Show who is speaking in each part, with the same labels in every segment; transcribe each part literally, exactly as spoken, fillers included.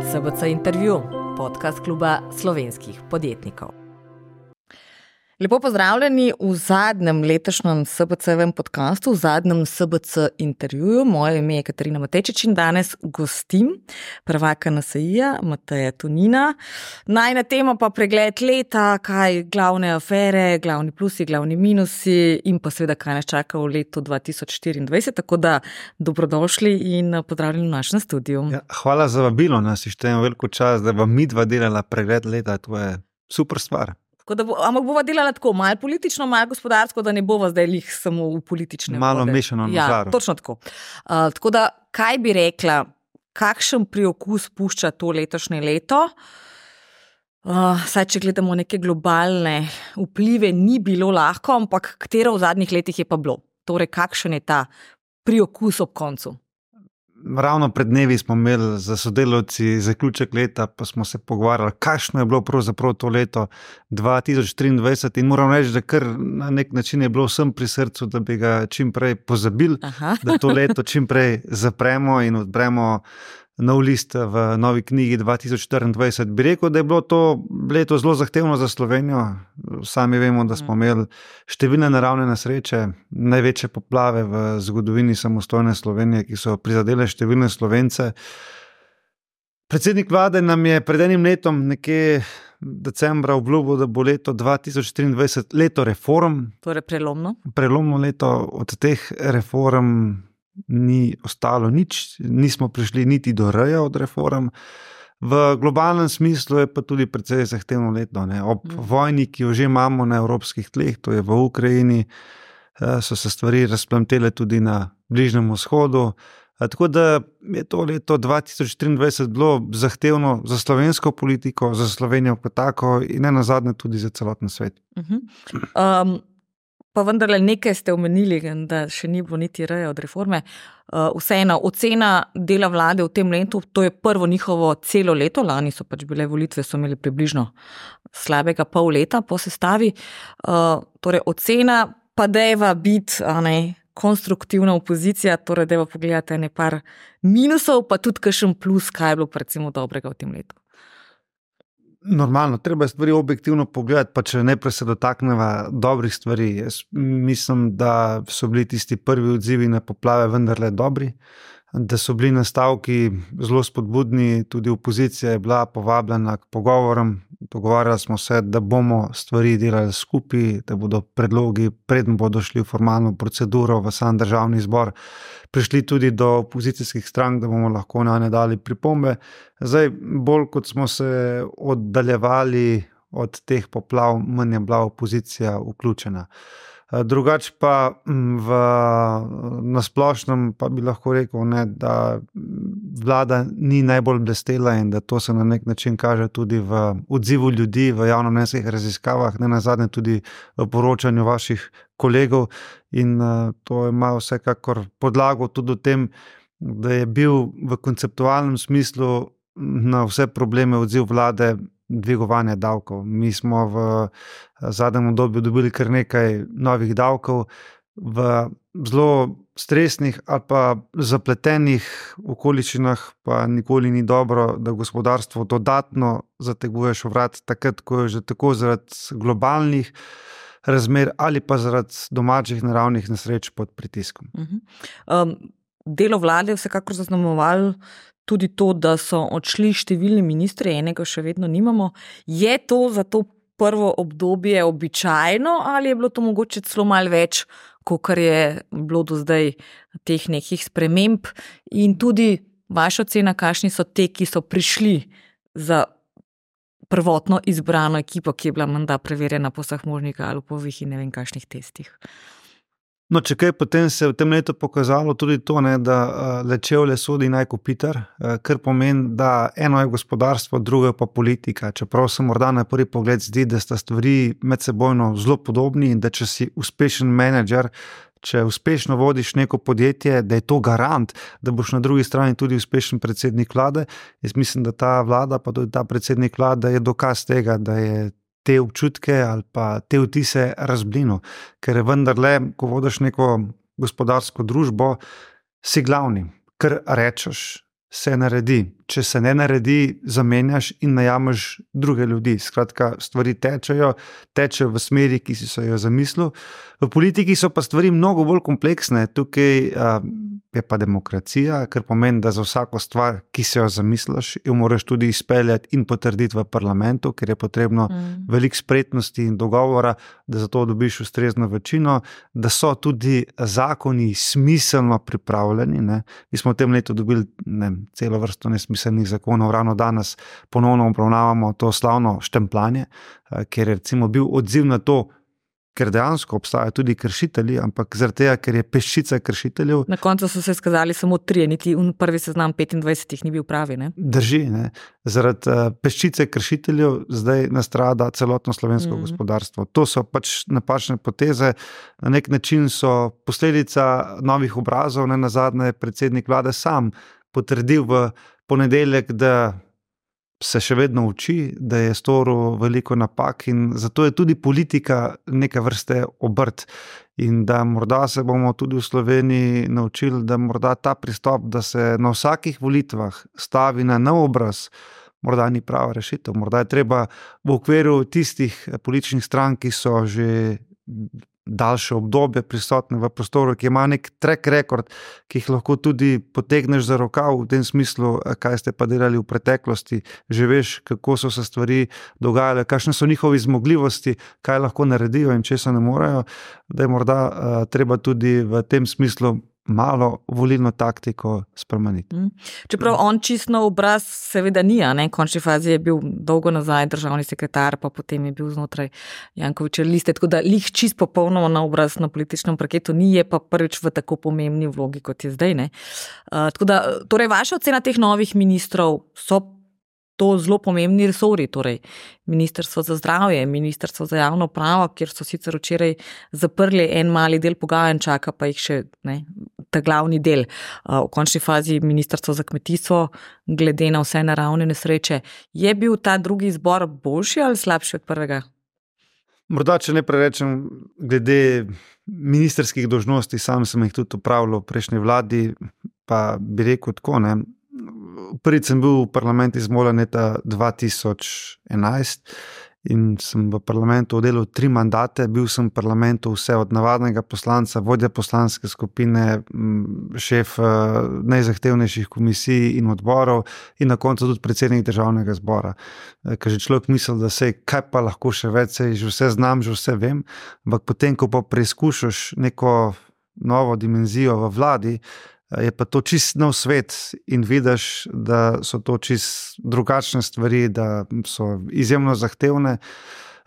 Speaker 1: S B C intervju, podcast kluba slovenskih podjetnikov. Lepo pozdravljeni v zadnjem letošnjem S B C-vem podcastu, v zadnjem S B C intervjuju. Moje ime je Katarina Matejčič in danes gostim prvaka N S I-ja Mateja Tonina. Najina tema pa pregled leta, kaj glavne afere, glavni plusi, glavni minusi in pa seveda kaj nas čaka v letu dva tisoč štiriindvajset. Tako da dobrodošli in pozdravljeni v našem studiu.
Speaker 2: Ja, hvala za vabilo, nas štejem veliko čas, da vam midva delala pregled leta, to je super stvar.
Speaker 1: Tako da bo, ampak bova delala tako, malo politično, malo gospodarsko, da ne bova zdaj lih samo v politične
Speaker 2: Malo
Speaker 1: vode.
Speaker 2: mešano na
Speaker 1: ja,
Speaker 2: žaru.
Speaker 1: Točno tako. Uh, tako da, kaj bi rekla, kakšen priokus pušča to letošnje leto? Uh, saj, če gledamo neke globalne vplive, ni bilo lahko, ampak katero v zadnjih letih je pa bilo? Torej, kakšen je ta priokus ob koncu?
Speaker 2: Ravno pred dnevi smo imeli za sodelavci zaključek leta, pa smo se pogovarjali, kakšno je bilo pravzaprav to leto dva tisoč triindvajset in moram reči, da kar na nek način je bilo vsem pri srcu, da bi ga čim prej pozabili,
Speaker 1: Aha.
Speaker 2: da to leto čim prej zapremo in odpremo nov list v novi knjigi dva tisoč štiriindvajset. Bi rekel, da je bilo to leto zelo zahtevno za Slovenijo. Sami vemo, da smo imeli številne naravne nesreče, največje poplave v zgodovini samostojne Slovenije, ki so prizadele številne Slovence. Predsednik vlade nam je pred enim letom, nekje decembra, obljubil, da bo leto dva tisoč triindvajset leto reform.
Speaker 1: Torej, prelomno.
Speaker 2: Prelomno leto, od teh reform ni ostalo nič, nismo prišli niti do reja od reform. V globalnem smislu je pa tudi precej zahtevno leto. Ne? Ob mm. vojni, ki jo že imamo na evropskih tleh, to je v Ukrajini, so se stvari razplamtele tudi na Bližnjem vzhodu. Tako da je to leto dva tisoč triindvajset bilo zahtevno za slovensko politiko, za Slovenijo kot tako in ne nazadnje tudi za celoten svet.
Speaker 1: Uh-huh. Um, Pa vendarle nekaj ste omenili, da še ni bilo niti reja od reforme. Vseeno, ocena dela vlade v tem letu, to je prvo njihovo celo leto, lani so pač bile volitve, so imeli približno slabega pol leta po sestavi. Torej, ocena pa deva biti ne, konstruktivna opozicija, torej deva pogledati nekaj minusov, pa tudi kakšen plus, kaj je bilo recimo dobrega v tem letu.
Speaker 2: Normalno, treba je stvari objektivno pogledati, pa če najprej se dotakneva dobrih stvari. Jaz mislim, da so bili tisti prvi odzivi na poplave vendarle dobri, da so bili nastavki zelo spodbudni, tudi opozicija je bila povabljena k pogovorom, dogovarjali smo se, da bomo stvari delali skupaj, da bodo predlogi, preden bodo šli v formalno proceduro v sam državni zbor, prišli tudi do opozicijskih strank, da bomo lahko na ne dali pripombe. Zdaj, bolj kot smo se oddaljevali od teh poplav, manj je bila opozicija vključena. Drugač pa v nasplošnem pa bi lahko rekel, ne, da vlada ni najbolj blestela in da to se na nek način kaže tudi v odzivu ljudi, v javnomnenjskih raziskavah, ne nazadnje tudi v poročanju vaših kolegov in to ima vsekakor podlago tudi v tem, da je bil v konceptualnem smislu na vse probleme odziv vlade dvigovanje davkov. Mi smo v zadnjem obdobju dobili kar nekaj novih davkov v zelo stresnih ali pa zapletenih okoliščinah, pa nikoli ni dobro, da gospodarstvo dodatno zateguješ vrat takrat, ko je že tako zaradi globalnih razmer ali pa zaradi domačih naravnih nesreč pod pritiskom.
Speaker 1: Uh-huh. Um, delo vlade je vsekakor zaznamovalo tudi to, da so odšli številni ministri, enega še vedno nimamo. Je to za to prvo obdobje običajno ali je bilo to mogoče celo malo več, kakor je bilo do zdaj teh nekih sprememb? In tudi vaša ocena, kakšni so te, ki so prišli za prvotno izbrano ekipo, ki je bila menda preverjena po vseh možnih Galupovih in ne vem kakšnih testih?
Speaker 2: No, če kaj, potem se je v tem letu pokazalo tudi to, ne, da le čevlje sodi naj kopitar, kar pomeni, da eno je gospodarstvo, drugo je pa politika. Čeprav se morda na prvi pogled zdi, da sta stvari medsebojno zelo podobni in da če si uspešen menedžer, če uspešno vodiš neko podjetje, da je to garant, da boš na drugi strani tudi uspešen predsednik vlade. Jaz mislim, da ta vlada, pa tudi ta predsednik vlade je dokaz tega, da je te občutke ali pa te vtise razblino, ker je vendarle, ko vodiš neko gospodarsko družbo, si glavni, kar rečeš, se naredi. če se ne naredi, zamenjaš in najameš druge ljudi. Skratka, stvari tečejo, tečejo v smeri, ki si so jo zamislil. V politiki so pa stvari mnogo bolj kompleksne. Tukaj a, je pa demokracija, kar pomeni, da za vsako stvar, ki se jo zamisliš, jo moraš tudi izpeljati in potrditi v parlamentu, ker je potrebno mm. veliko spretnosti in dogovora, da za to dobiš ustrezno večino, da so tudi zakoni smiselno pripravljeni. Ne. Mi smo v tem letu dobili ne, celo vrsto nesmiselnih zakonov, ravno danes ponovno obravnavamo to slavno štempljanje, ker je recimo bil odziv na to, ker dejansko obstajajo tudi kršitelji, ampak zaradi tega, ker je peščica kršiteljev.
Speaker 1: Na koncu so se skazali samo trije, niti prvi seznam petindvajset ni bil pravi. Ne?
Speaker 2: Drži, ne. Zaradi uh, peščice kršiteljev zdaj nastrada celotno slovensko mm. gospodarstvo. To so pač napačne poteze, na nek način so posledica novih obrazov, ne nazadnje predsednik vlade sam potrdil v ponedeljek, da se še vedno uči, da je storil veliko napak in zato je tudi politika neka vrste obrt in da morda se bomo tudi v Sloveniji naučili, da morda ta pristop, da se na vsakih volitvah stavi na nov obraz, morda ni prava rešitev. Morda je treba v okviru tistih političnih strank, ki so že daljše obdobje prisotne v prostoru, ki ima nek track record, ki jih lahko tudi potegneš za rokav v tem smislu, kaj ste pa delali v preteklosti, že veš, kako so se stvari dogajale, kakšne so njihovi zmogljivosti, kaj lahko naredijo in česa ne morejo, da je morda uh, treba tudi v tem smislu malo volilno taktiko spremeniti.
Speaker 1: Čeprav on čisto obraz seveda ni, ne? V končni fazi je bil dolgo nazaj državni sekretar, pa potem je bil znotraj Jankovićeve liste, tako da lih čisto popolnoma na obraz na političnem parketu ni, je pa prvič v tako pomembni vlogi, kot je zdaj. Ne? Uh, tako da, torej vaša ocena teh novih ministrov so to zelo pomembni resori, torej Ministrstvo za zdravje, Ministrstvo za javno upravo, kjer so sicer včeraj zaprli en mali del pogajanj, čaka pa jih še ne, ta glavni del. V končni fazi Ministrstvo za kmetijstvo, glede na vse naravne nesreče. Je bil ta drugi izbor boljši ali slabši od prvega?
Speaker 2: Morda, če ne prerečem, glede ministrskih dolžnosti, sam sem jih tudi upravljal v prejšnji vladi, pa bi rekel tako, ne. Prvič sem bil v parlament izvoljen leta dva tisoč enajst in sem v parlamentu oddelal tri mandate. Bil sem v parlamentu vse od navadnega poslanca, vodja poslanske skupine, šef najzahtevnejših komisij in odborov in na koncu tudi predsednik državnega zbora. Ker že človek misli, da se kaj pa lahko še več, sej že vse znam, že vse vem, ampak potem, ko pa preizkušaš neko novo dimenzijo v vladi, je pa to čist nov svet in vidiš, da so to čist drugačne stvari, da so izjemno zahtevne.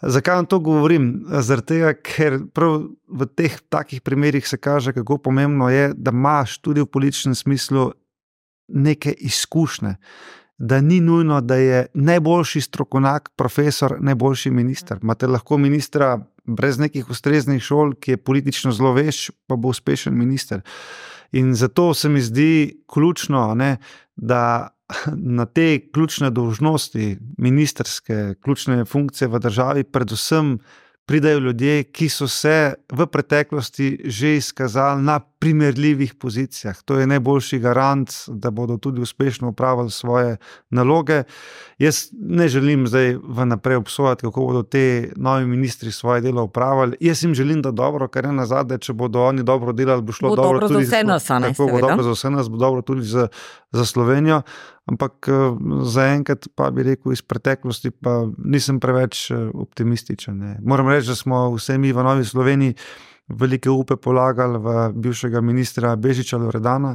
Speaker 2: Zakaj vam to govorim? Zaradi tega, ker prav v teh takih primerih se kaže, kako pomembno je, da imaš tudi v političnem smislu neke izkušnje. Da ni nujno, da je najboljši strokovnjak, profesor, najboljši minister. Imate lahko ministra brez nekih ustreznih šol, ki je politično zelo vešč, pa bo uspešen minister. In zato se mi zdi ključno, ne, da na te ključne dolžnosti, ministerske, ključne funkcije v državi, predvsem pridajo ljudje, ki so se v preteklosti že izkazali na primerljivih pozicijah. To je najboljši garant, da bodo tudi uspešno upravili svoje naloge. Jaz ne želim zdaj vnaprej obsojati, kako bodo te novi ministri svoje delo upravili. Jaz jim želim, da dobro, ker je nazadnje, če bodo oni dobro delali, bo šlo
Speaker 1: bo
Speaker 2: dobro,
Speaker 1: dobro
Speaker 2: tudi
Speaker 1: za vse nas, ne,
Speaker 2: tako, bo dobro za vse nas, bo dobro tudi za, za Slovenijo. Ampak zaenkrat pa bi rekel iz preteklosti, pa nisem preveč optimističen. Ne. Moram reči, da smo vse mi v Novi Sloveniji velike upe polagali v bivšega ministra Bežiča Loredana,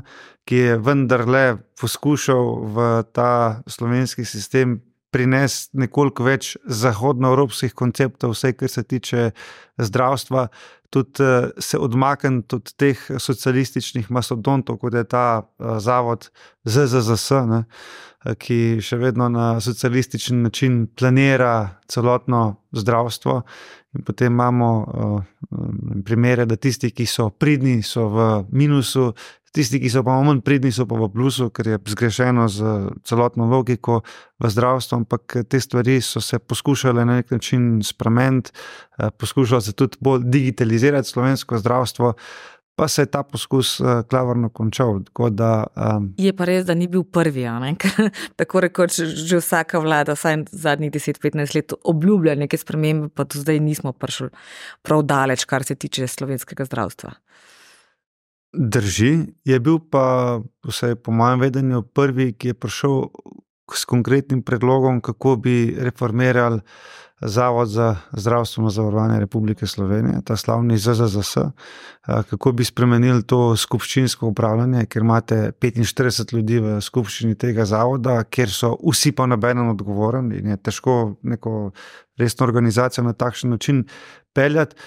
Speaker 2: ki je vendarle poskušal v ta slovenski sistem prinesti nekoliko več zahodnoevropskih konceptov, vse, kar se tiče zdravstva, tudi se odmakniti od teh socialističnih mastodontov, kot je ta zavod Z Z Z S, ne, ki še vedno na socialističen način planira celotno zdravstvo. In potem imamo uh, primere, da tisti, ki so pridni, so v minusu, tisti, ki so pa manj pridni, so pa v plusu, ker je zgrešeno z celotno logiko v zdravstvu, ampak te stvari so se poskušale na nek način spremeniti, uh, poskušalo se tudi bolj digitalizirati slovensko zdravstvo, pa se je ta poskus uh, klavrno končal. Da, um,
Speaker 1: je pa res, da ni bil prvi, tako rekoč že vsaka vlada, vsaj zadnjih deset petnajst let obljublja neke spremembe, pa do zdaj nismo prišli prav daleč, kar se tiče slovenskega zdravstva.
Speaker 2: Drži, je bil pa, vsaj po mojem vedenju, prvi, ki je prišel s konkretnim predlogom, kako bi reformirali Zavod za zdravstveno zavarovanje Republike Slovenije, ta slavni Z Z Z S, kako bi spremenili to skupščinsko upravljanje, ker imate petinštirideset ljudi v skupščini tega zavoda, kjer so vsi pa nobeden odgovoren in je težko neko resno organizacijo na takšen način peljati,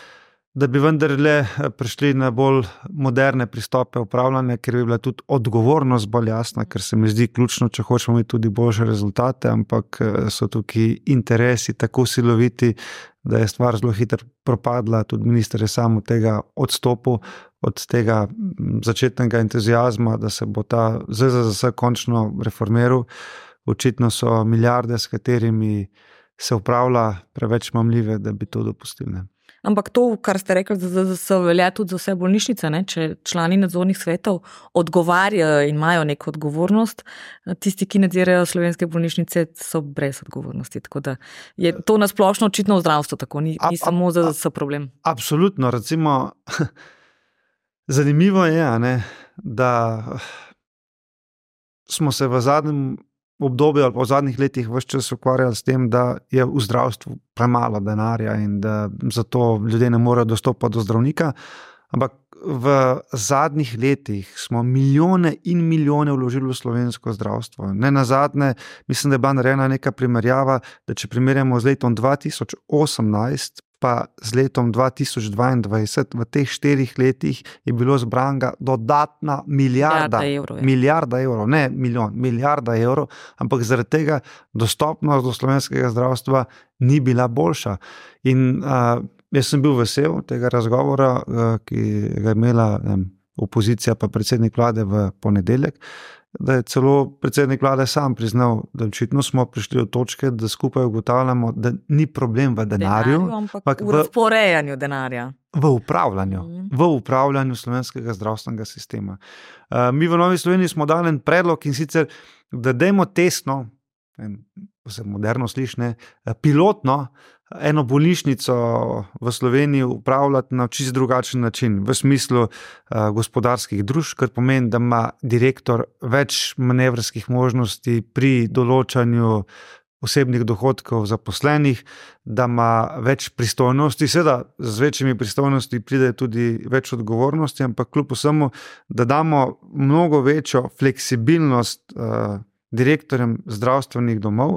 Speaker 2: da bi vendarle prišli na bolj moderne pristope upravljanja, ker bi bila tudi odgovornost bolj jasna, ker se mi zdi ključno, če hočemo imeti tudi boljše rezultate, ampak so tukaj interesi tako siloviti, da je stvar zelo hitro propadla, tudi minister je sam od tega odstopil, od tega začetnega entuziazma, da se bo ta Z Z Z S končno reformiral. Očitno so milijarde, s katerimi se upravlja, preveč mamljive, da bi to dopustili.
Speaker 1: Ampak to, kar ste rekli, da se velja tudi za vse bolnišnice, ne? Če člani nadzornih svetov odgovarjajo in imajo neko odgovornost, tisti, ki nadzirajo slovenske bolnišnice, so brez odgovornosti. Tako da je to nasplošno očitno v zdravstvu tako, ni, ni samo za Z Z S problem.
Speaker 2: Absolutno, recimo, zanimivo je, ne, da smo se v zadnjem obdobju ali pa v zadnjih letih ves čas ukvarjali s tem, da je v zdravstvu premalo denarja in da zato ljudje ne morejo dostopati do zdravnika, ampak v zadnjih letih smo milijone in milijone vložili v slovensko zdravstvo. Ne nazadnje, mislim, da je bila narejena neka primerjava, da če primerjamo z letom dva tisoč osemnajst pa z letom dva tisoč dvaindvajset, v teh štirih letih je bilo zbranga dodatna milijarda,
Speaker 1: milijarda evrov,
Speaker 2: milijarda evrov, ne milijon, milijarda evrov, ampak zaradi tega dostopnost do slovenskega zdravstva ni bila boljša. In uh, jaz sem bil vesel tega razgovora, uh, ki ga je imela um, opozicija pa predsednik vlade v ponedeljek, da je celo predsednik vlade sam priznal, da očitno smo prišli do točke, da skupaj ugotavljamo, da ni problem v denarju,
Speaker 1: denarju ampak v razporejanju denarja.
Speaker 2: V upravljanju, mm. v upravljanju slovenskega zdravstvenega sistema. Uh, mi v Novi Sloveniji smo dali en predlog in sicer, da dajmo testno, se moderno slišne, pilotno, eno bolnišnico v Sloveniji upravljati na čisto drugačen način, v smislu uh, gospodarskih družb, kar pomeni, da ima direktor več manevrskih možnosti pri določanju osebnih dohodkov zaposlenih, da ima več pristojnosti, seveda z večjimi pristojnosti pride tudi več odgovornosti, ampak kljub vsemu, da damo mnogo večjo fleksibilnost uh, direktorjem zdravstvenih domov,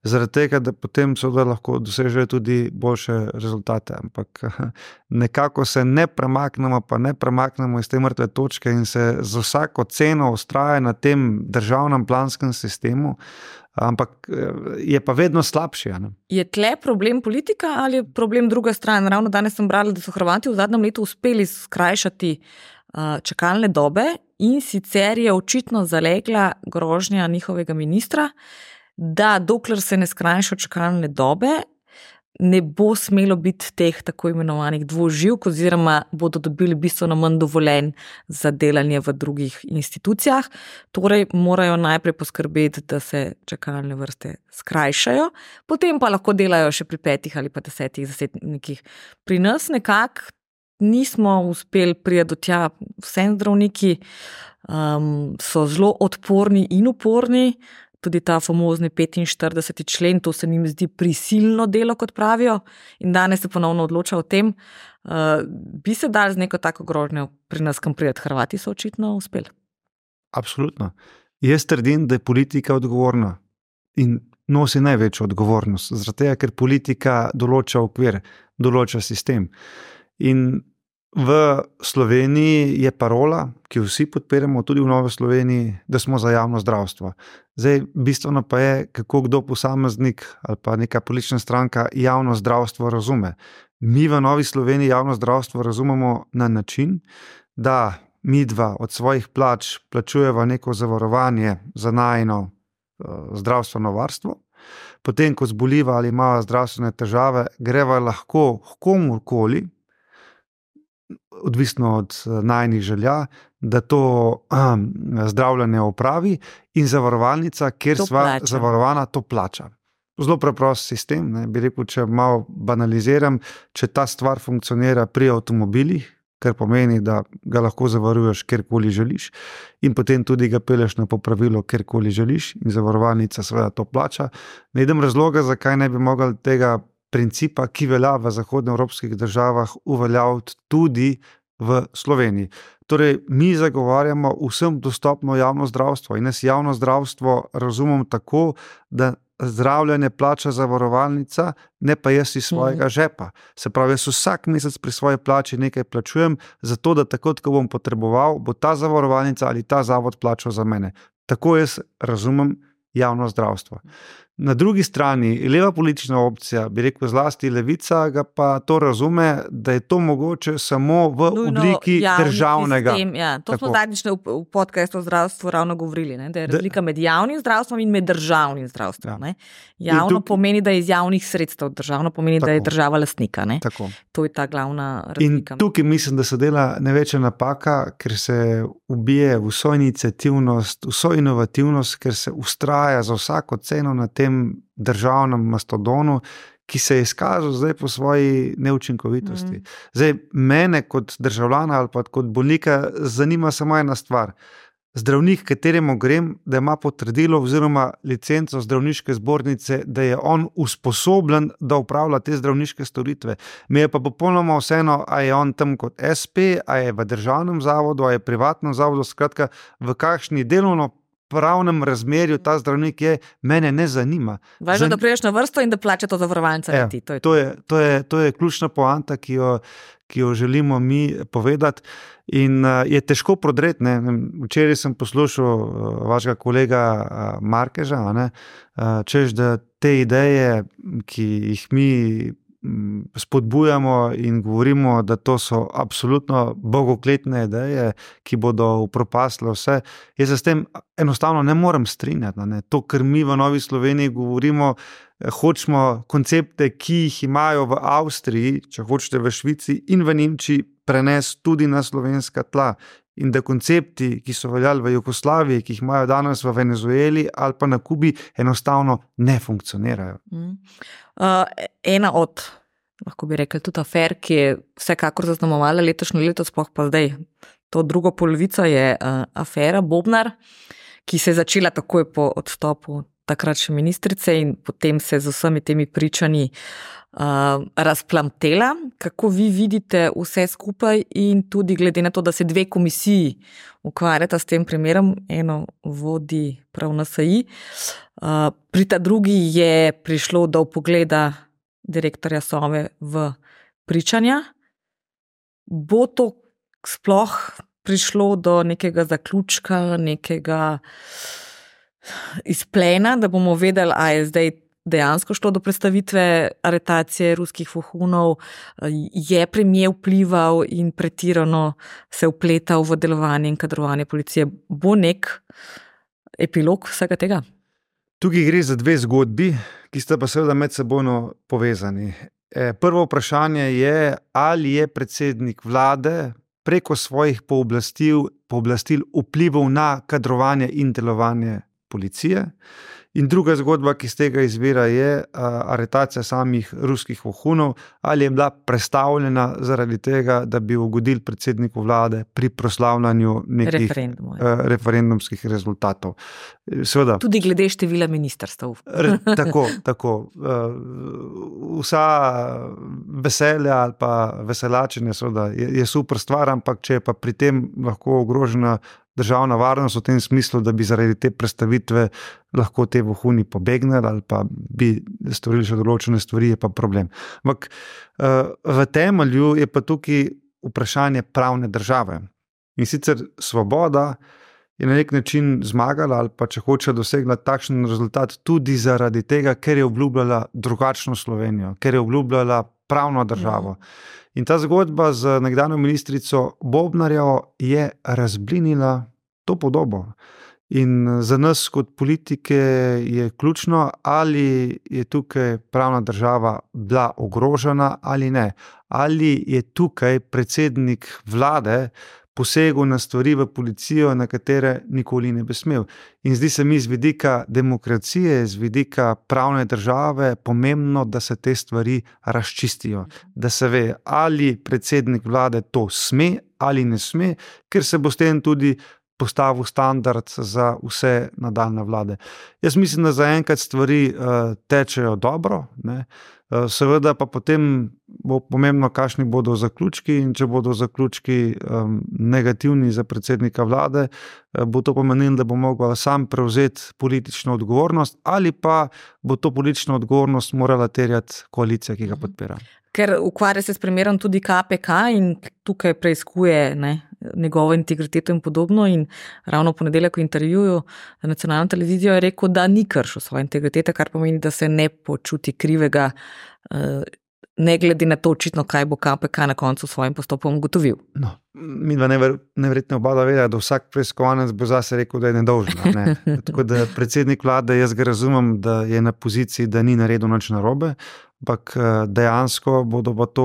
Speaker 2: zaradi tega, da potem seveda lahko dosežejo tudi boljše rezultate. Ampak nekako se ne premaknemo, pa ne premaknemo iz te mrtve točke in se z vsako ceno vztraja na tem državnem planskem sistemu, ampak je pa vedno slabši. Ne?
Speaker 1: Je tle problem politika ali je problem druga stran? Ravno danes sem brala, da so Hrvati v zadnjem letu uspeli skrajšati uh, čakalne dobe in sicer je očitno zalegla grožnja njihovega ministra, da dokler se ne skrajšajo čakalne dobe, ne bo smelo biti teh tako imenovanih dvoživk oziroma bodo dobili bistveno manj dovoljenj za delanje v drugih institucijah. Torej morajo najprej poskrbeti, da se čakalne vrste skrajšajo, potem pa lahko delajo še pri petih ali pa desetih zasebnikih. Pri nas nekako nismo uspeli priti do tja, vsem zdravniki um, so zelo odporni in uporni, tudi ta famozni petinštirideseti člen, to se njim zdi prisilno delo, kot pravijo, in danes se ponovno odloča o tem, uh, bi se dali z neko tako grožnjo pri nas kam priti. Hrvati so očitno uspeli.
Speaker 2: Absolutno. Jaz trdim, da je politika odgovorna in nosi največjo odgovornost, zaradi tega, ker politika določa okvir, določa sistem. In v Sloveniji je parola, ki vsi podpiramo, tudi v Novi Sloveniji, da smo za javno zdravstvo. Zdaj, bistveno pa je, kako kdo posameznik ali pa neka politična stranka javno zdravstvo razume. Mi v Novi Sloveniji javno zdravstvo razumemo na način, da mi dva od svojih plač plačujeva neko zavarovanje za najino uh, zdravstveno varstvo, potem, ko zboliva ali ima zdravstvene težave, greva lahko komurkoli, odvisno od najnih želja, da to um, zdravljenje opravi in zavarovalnica, kjer
Speaker 1: To
Speaker 2: sva
Speaker 1: plača.
Speaker 2: zavarovana, to plača. Zelo preprost sistem, ne, bi rekel, če malo banaliziram, če ta stvar funkcionira pri avtomobilih, kar pomeni, da ga lahko zavaruješ kjerkoli želiš in potem tudi ga peleš na popravilo kjerkoli želiš in zavarovalnica seveda to plača. Ne idem razloga, zakaj ne bi mogli tega principa, ki velja v zahodnoevropskih državah, uveljaviti tudi v Sloveniji. Torej, mi zagovarjamo vsem dostopno javno zdravstvo in jaz javno zdravstvo razumem tako, da zdravljenje plača zavarovalnica, ne pa jaz iz svojega žepa. Se pravi, jaz vsak mesec pri svoji plači nekaj plačujem, zato da takrat, ko bom potreboval, bo ta zavarovalnica ali ta zavod plačal za mene. Tako jaz razumem javno zdravstvo. Na drugi strani, leva politična opcija, bi rekel zlasti levica, ga pa to razume, da je to mogoče samo v
Speaker 1: Nujno
Speaker 2: obliki
Speaker 1: javni
Speaker 2: državnega.
Speaker 1: sistem, ja. To smo
Speaker 2: Tako.
Speaker 1: zadnjič v, v podcastu o zdravstvu ravno govorili, ne? Da je razlika med javnim zdravstvom in med državnim zdravstvom.
Speaker 2: Ja.
Speaker 1: Ne? Javno
Speaker 2: tuk-
Speaker 1: pomeni, da je iz javnih sredstev, državno pomeni, da je
Speaker 2: Tako.
Speaker 1: država lastnika. Ne?
Speaker 2: Tako.
Speaker 1: To je ta glavna
Speaker 2: In
Speaker 1: razlika.
Speaker 2: tukaj mislim, da se dela največja napaka, ker se ubije vso iniciativnost, vso inovativnost, ker se ustraja za vsako ceno na tem državnem mastodonu, ki se je izkazal zdaj po svoji neučinkovitosti.
Speaker 1: Mhm.
Speaker 2: Zdaj, mene kot državljana ali pa kot bolnika zanima samo ena stvar. Zdravnik, kateremu grem, da ima potrdilo oziroma licenco zdravniške zbornice, da je on usposobljen, da upravlja te zdravniške storitve. Mi je pa popolnoma vseeno, a je on tam kot es pe, a je v državnem zavodu, a je privatnem zavodu, skratka, v kakšni delovno pravnem razmerju ta zdravnik je, mene ne zanima.
Speaker 1: Važno,
Speaker 2: Zan-
Speaker 1: da priješ na vrsto in da plača to zavarovalnica.
Speaker 2: Ja,
Speaker 1: na ti. To je
Speaker 2: To je, to, je, to je ključna poanta, ki jo, ki jo želimo mi povedati. In uh, je težko prodreti. Ne? Včeraj sem poslušal uh, vašega kolega uh, Markeža, a ne? Uh, češ, da te ideje, ki jih mi mm, spodbujamo in govorimo, da to so absolutno bogokletne ideje, ki bodo upropastile vse. Jaz se s tem enostavno ne morem strinjati. Ne? To, kar mi v Novi Sloveniji govorimo, hočemo koncepte, ki jih imajo v Avstriji, če hočete v Švici in v Nemčiji, prenesti tudi na slovenska tla. In da koncepti, ki so veljali v Jugoslaviji, ki jih imajo danes v Venezueli ali pa na Kubi, enostavno ne funkcionirajo.
Speaker 1: Mm. Uh, ena od, lahko bi rekli, tudi afer, ki je vsekakor zaznamovala letošnje leto, sploh pa zdaj, to drugo polovico je uh, afera Bobnar, ki se je začela takoj po odstopu takrat še ministrice in potem se z vsemi temi pričanji uh, razplamtela. Kako vi vidite vse skupaj in tudi glede na to, da se dve komisiji ukvarjata s tem primerom, eno vodi prav en es i, uh, pri ta drugi je prišlo do vpogleda direktorja Sove v pričanja. Bo to sploh prišlo do nekega zaključka, nekega izplena, da bomo vedeli, a je zdaj dejansko šlo do predstavitve aretacije ruskih vohunov, je premijer vplival in pretirano se vpletal v delovanje in kadrovanje policije. Bo nek epilog vsega tega?
Speaker 2: Tukaj gre za dve zgodbi, ki sta pa seveda med sebojno povezani. Prvo vprašanje je, ali je predsednik vlade preko svojih pooblastil, pooblastil vplival na kadrovanje in delovanje policije. In druga zgodba, ki z tega izvira, je aretacija samih ruskih vohunov, ali je bila prestavljena zaradi tega, da bi ugodili predsedniku vlade pri proslavljanju nekih
Speaker 1: Referendumov,
Speaker 2: uh, referendumskih rezultatov. Seveda,
Speaker 1: tudi glede števila ministrstev.
Speaker 2: re, tako, tako. Uh, vsa veselja ali pa veselačenje seveda, je, je super stvar, ampak če je pa pri tem lahko ogrožena državna varnost v tem smislu, da bi zaradi te predstavitve lahko te vohuni pobegnili ali pa bi storili še določene stvari, je pa problem. Ampak v temelju je pa tukaj vprašanje pravne države. In sicer svoboda je na nek način zmagala ali pa če hoče dosegla takšen rezultat tudi zaradi tega, ker je obljubljala drugačno Slovenijo, ker je obljubljala pravno državo. In ta zgodba z nekdanjo ministrico Bobnarjevo je razblinila to podobo. In za nas kot politike je ključno, ali je tukaj pravna država bila ogrožena ali ne. Ali je tukaj predsednik vlade posegel na stvari v policijo, na katere nikoli ne bi smel. In zdi se mi z vidika demokracije, z vidika pravne države pomembno, da se te stvari razčistijo. Da se ve, ali predsednik vlade to sme ali ne sme, ker se bo s tem tudi postavil standard za vse nadaljne vlade. Jaz mislim, da zaenkrat stvari uh, tečejo dobro, ne. Uh, seveda pa potem bo pomembno, kakšni bodo zaključki, in če bodo zaključki um, negativni za predsednika vlade, uh, bo to pomenilo, da bo mogel sam prevzeti politično odgovornost, ali pa bo to politično odgovornost morala terjati koalicija, ki ga podpira.
Speaker 1: Ker ukvarja se s primerom tudi K P K in tukaj preiskuje, ne, njegovo integriteto in podobno, in ravno v ponedeljek v intervjuju na nacionalno televizijo je rekel, da ni kršil svoje integritete, kar pomeni, da se ne počuti krivega, ne glede na to očitno, kaj bo K P K na koncu s svojim postopkom ugotovil.
Speaker 2: No, mi dva neverjetno oba vedela, da vsak preiskovanec bo zase rekel, da je nedolžen. Ne? Tako da predsednik vlade, jaz ga razumem, da je na poziciji, da ni naredil nič narobe, ampak dejansko bodo pa to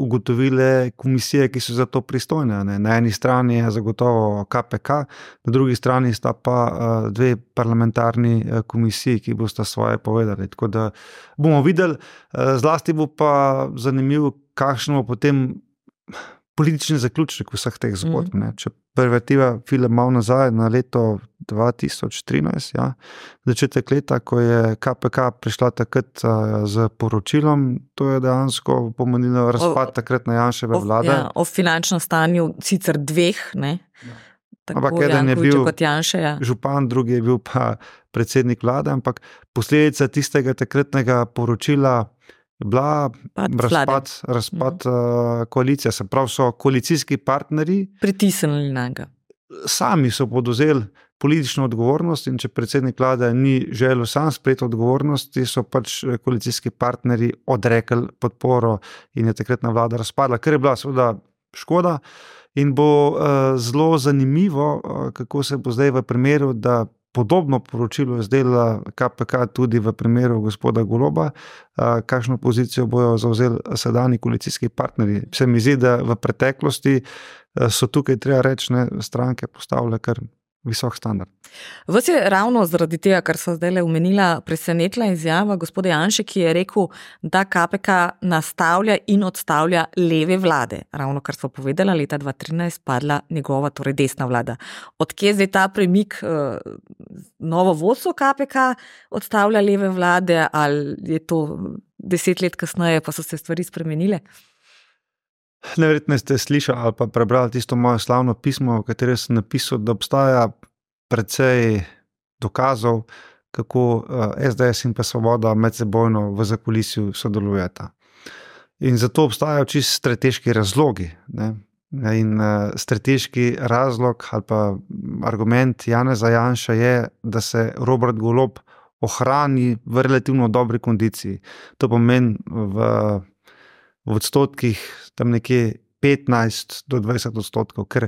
Speaker 2: ugotovile komisije, ki so za to pristojne. Ne? Na eni strani je zagotovo K P K, na drugi strani sta pa dve parlamentarni komisiji, ki bosta svoje povedali. Tako da bomo videli, zlasti bo pa zanimivo, kakšno bo potem politični zaključek vseh teh zgodb. Mm. Če prevertiva film malo nazaj na leto dva tisoč trinajst, ja, začetek leta, ko je K P K prišla takrat z poročilom, to je dejansko pomenilo razpad takratne Janševe vlade.
Speaker 1: Ja, o finančnem stanju sicer dveh, ne? Ja.
Speaker 2: Ampak eden je bil Janše, ja. župan, drugi je bil pa predsednik vlade, ampak posledica tistega takratnega poročila bila razpad, razpad uh, koalicije, se pravi so koalicijski partnerji
Speaker 1: pritisnili na ga.
Speaker 2: Sami so podvzeli politično odgovornost, in če predsednik vlade ni želel sam sprejeti odgovornosti, so pač koalicijski partnerji odrekli podporo in je takratna vlada razpadla, ker je bila seveda škoda. In bo uh, zelo zanimivo, uh, kako se bo zdaj v primeru, da podobno poročilo je zdela K P K tudi v primeru gospoda Goloba, uh, kakšno pozicijo bojo zavzeli sedanji koalicijski partnerji. Se mi zdi, da v preteklosti uh, so tukaj, treba reči, ne, stranke postavile kar visok standard.
Speaker 1: Vas je ravno zaradi tega, kar so zdaj le omenila, presenetila izjava gospoda Janše, ki je rekel, da K P K nastavlja in odstavlja leve vlade. Ravno kar so povedala, leta dva tisoč trinajst padla njegova, torej desna vlada. Odkje zdaj ta premik, novo vodstvo K P K odstavlja leve vlade, ali je to deset let kasneje, pa so se stvari spremenile?
Speaker 2: Neverjetno ste slišali ali pa prebrali tisto moje slavno pismo, v katerem sem napisal, da obstaja precej dokazov, kako S D S in pa Svoboda medsebojno v zakulisju sodelujeta. In zato obstajajo čisto strateški razlogi. Ne? In strateški razlog ali pa argument Janeza Janše je, da se Robert Golob ohrani v relativno dobri kondiciji. To pomeni v v odstotkih tam nekje petnajst do dvajset odstotkov, ker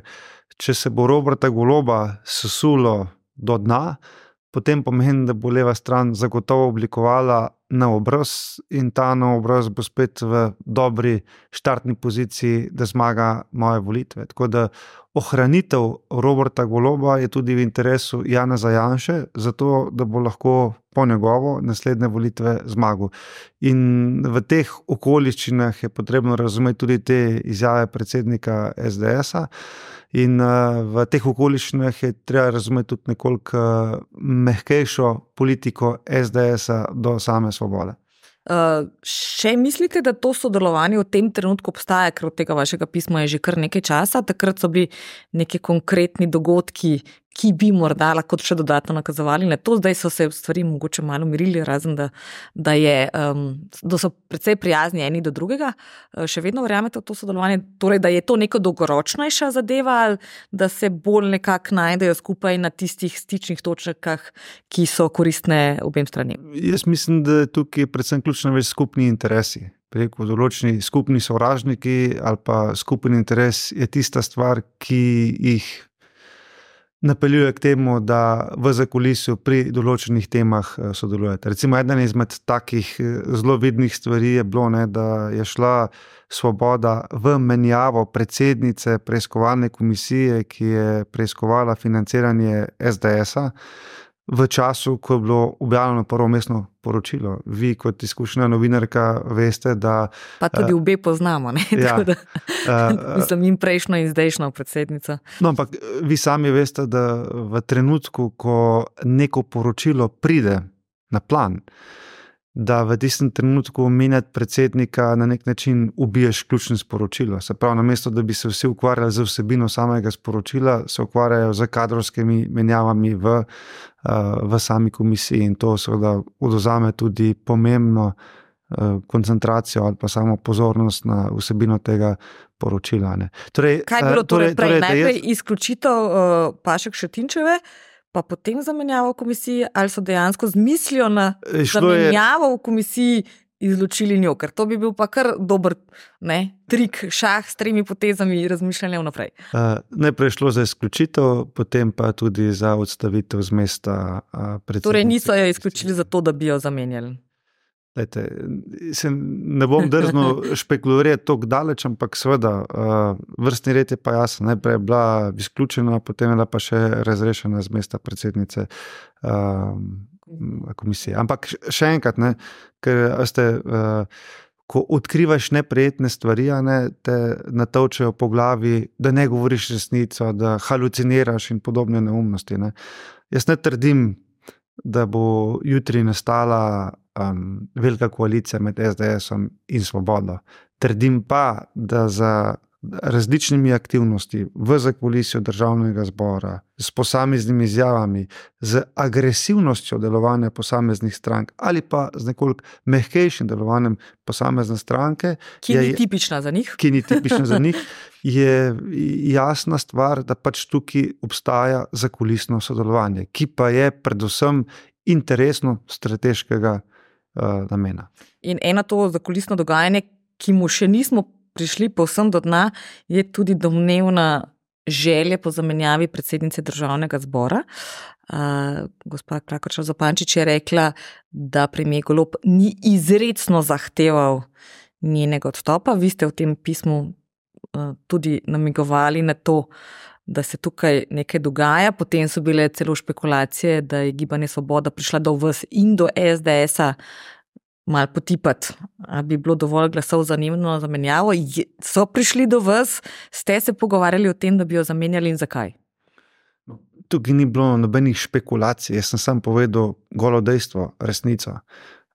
Speaker 2: če se bo Roberta Goloba sesulo do dna, potem pomeni, da bo leva stran zagotovo oblikovala na obraz in ta na obraz bo spet v dobri štartni poziciji, da zmaga moje volitve. Tako da ohranitev Roberta Goloba je tudi v interesu Janeza Janše, zato da bo lahko po njegovo naslednje volitve zmagal. In v teh okoliščinah je potrebno razumeti tudi te izjave predsednika S D S-a. In v teh okoliščinah je treba razumeti tudi nekoliko mehkejšo politiko S D S-a do same Svobode.
Speaker 1: Uh, še mislite, da to sodelovanje v tem trenutku obstaja, ker od tega vašega pisma je že kar nekaj časa, takrat so bili neki konkretni dogodki, ki bi morda lahko še dodatno nakazovali na to, zdaj so se stvari mogoče malo mirili, razen da, da, je, um, da so precej prijazni eni do drugega. Uh, še vedno verjamete v to sodelovanje, torej da je to neko dolgoročnejša zadeva, ali da se bolj nekako najdejo skupaj na tistih stičnih točkah, ki so koristne obem stranem?
Speaker 2: Jaz mislim, da tukaj predvsem ključno več skupni interesi. Preko določeni skupni sovražniki ali pa skupni interes je tista stvar, ki jih napeljuje k temu, da v zakulisju pri določenih temah sodelujete. Recimo, eden izmed takih zelo vidnih stvari je bilo, ne, da je šla Svoboda v menjavo predsednice preiskovalne komisije, ki je preiskovala financiranje es de es-a v času, ko je bilo objavljeno prvo mestno poročilo. Vi kot izkušena novinarka veste, da...
Speaker 1: Pa tudi uh, obe poznamo, ne?
Speaker 2: Ja,
Speaker 1: da, uh, mislim, in prejšnjo in zdajšnjo predsednico.
Speaker 2: No, ampak vi sami veste, da v trenutku, ko neko poročilo pride na plan, da v tistem trenutku menjati predsednika na nek način ubiješ ključno sporočilo. Se pravi, namesto da bi se vsi ukvarjali z vsebino samega sporočila, se ukvarjajo z kadrovskimi menjavami v, v sami komisiji in to seveda odvzame tudi pomembno koncentracijo ali pa samo pozornost na vsebino tega poročila. Ne. Torej,
Speaker 1: Kaj je bilo torej, torej prej? Najprej
Speaker 2: jaz...
Speaker 1: izključitev uh, Pašek Šetinčeve, pa potem zamenjavo v komisiji, ali so dejansko z mislijo na zamenjavo v komisiji izločili njo, ker to bi bil pa kar dober ne, trik, šah s tremi potezami razmišljanja vnaprej.
Speaker 2: Uh, najprej šlo za izključitev, potem pa tudi za odstavitev z mesta uh, predsednice.
Speaker 1: Torej niso jo izključili zato, da bi jo zamenjali.
Speaker 2: Lejte, se ne bom drznil špekulirati toliko daleč, ampak seveda uh, vrstni red je pa jasen. Najprej je bila izključena, potem je bila pa še razrešena z mesta predsednice uh, komisije. Ampak še enkrat, ne, ker ste, uh, ko odkrivaš neprijetne stvari, ne, te natovčejo po glavi, da ne govoriš resnico, da haluciniraš in podobne neumnosti. Ne. Jaz ne trdim, da bo jutri nastala um, velika koalicija med es de es-om in Svobodo. Trdim pa, da za različnimi aktivnosti v zakulisju državnega zbora, s posameznimi izjavami, z agresivnostjo delovanja posameznih strank ali pa z nekoliko mehkejšim delovanjem posamezne stranke,
Speaker 1: ki
Speaker 2: je,
Speaker 1: ni tipična za njih,
Speaker 2: ki ni tipična za njih, je jasna stvar, da pač tukaj obstaja zakulisno sodelovanje, ki pa je predvsem interesno strateškega uh, namena.
Speaker 1: In eno to zakulisno dogajanje, ki mu še nismo prišli povsem do dna, je tudi domnevna želja po zamenjavi predsednice državnega zbora. Uh, gospa Klakočar Zupančič je rekla, da premier Golob ni izrecno zahteval njenega odstopa. Vi ste v tem pismu uh, tudi namigovali na to, da se tukaj nekaj dogaja. Potem so bile celo špekulacije, da je Gibanje Svoboda prišla do vas in do es de es-a malo potipati. A bi bilo dovolj glasov za njeno zamenjavo? So prišli do vas? Ste se pogovarjali o tem, da bi jo zamenjali in zakaj?
Speaker 2: Tukaj ni bilo nobenih špekulacij. Jaz sem sam povedal golo dejstvo, resnico.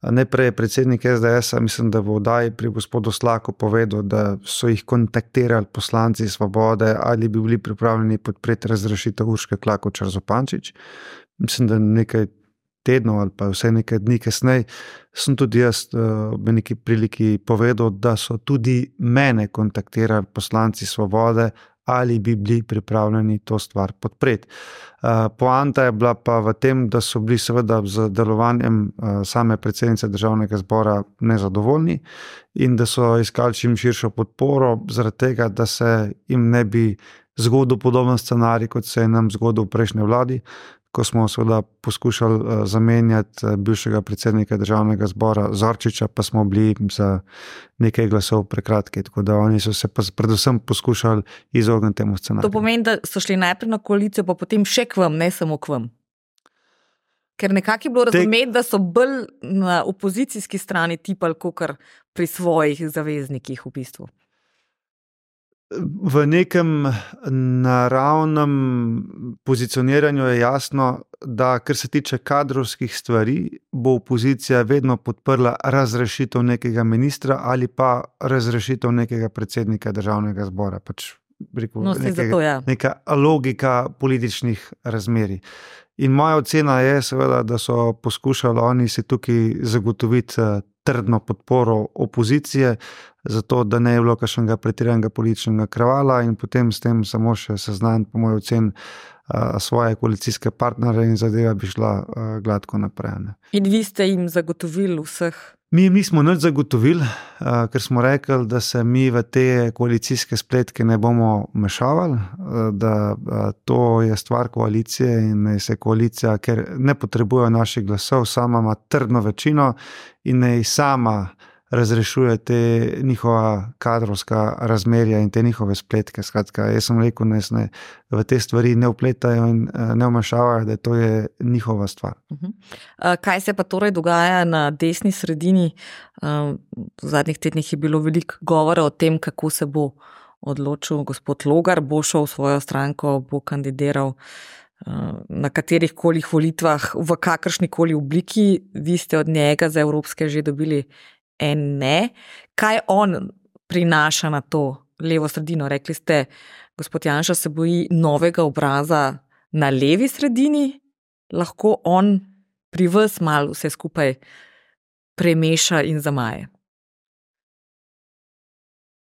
Speaker 2: Najprej je predsednik es de es-a, mislim, da v oddaji pri gospodu Slaku povedal, da so jih kontaktirali poslanci Svobode ali bi bili pripravljeni podpreti razrešitev Urške Klakočar Zupančič. Mislim, da nekaj tednov ali pa vse nekaj dni kasneje sem tudi jaz v neki priliki povedal, da so tudi mene kontaktirali poslanci Svobode ali bi bili pripravljeni to stvar podpreti. Poanta je bila pa v tem, da so bili seveda z delovanjem same predsednice državnega zbora nezadovoljni in da so iskali čim širšo podporo zaradi tega, da se jim ne bi zgodil podoben scenarij, kot se je nam zgodil v prejšnji vladi, ko smo seveda poskušali zamenjati bivšega predsednika državnega zbora Zorčiča, pa smo bili za nekaj glasov prekratki, tako da oni so se predvsem poskušali izogniti temu scenariju.
Speaker 1: To pomeni, da so šli najprej na koalicijo, pa potem še k vam, ne samo k vam. Ker nekako je bilo razumeti, da so bolj na opozicijski strani tipali, kakor pri svojih zaveznikih v bistvu.
Speaker 2: V nekem naravnem pozicioniranju je jasno, da kar se tiče kadrovskih stvari, bo opozicija vedno podprla razrešitev nekega ministra ali pa razrešitev nekega predsednika državnega zbora. Pač, rekel,
Speaker 1: no,
Speaker 2: nekega,
Speaker 1: zato, ja.
Speaker 2: Neka logika političnih razmerij. In moja ocena je seveda, da so poskušali oni si tukaj zagotoviti trdno podporo opozicije, zato da ne je bilo kakšnega pretiranega političnega kravala in potem s tem samo še seznaniti, po mojem ocen, svoje koalicijske partnere in zadeva bi šla gladko naprej. Ne.
Speaker 1: In vi ste jim zagotovili vseh
Speaker 2: Mi jim nismo nič zagotovili, uh, ker smo rekli, da se mi v te koalicijske spletke ne bomo mešavali, uh, da uh, to je stvar koalicije in naj se koalicija, ker ne potrebuje naših glasov, sama ima trdno večino in naj sama razrešuje te njihova kadrovska razmerja in te njihove spletke. Skratka, jaz sem rekel, da se v te stvari ne vpletajo in ne vmešavajo, da to je njihova stvar.
Speaker 1: Uh-huh. Kaj se pa torej dogaja na desni sredini? Uh, v zadnjih tednih je bilo veliko govora o tem, kako se bo odločil gospod Logar, bo šel v svojo stranko, bo kandidiral uh, na katerih kolih volitvah, v kakršni koli obliki. Vi ste od njega za evropske že dobili en ne. Kaj on prinaša na to levo sredino? Rekli ste, gospod Janša se boji novega obraza na levi sredini, lahko on pri vas malo vse skupaj premeša in zamaje.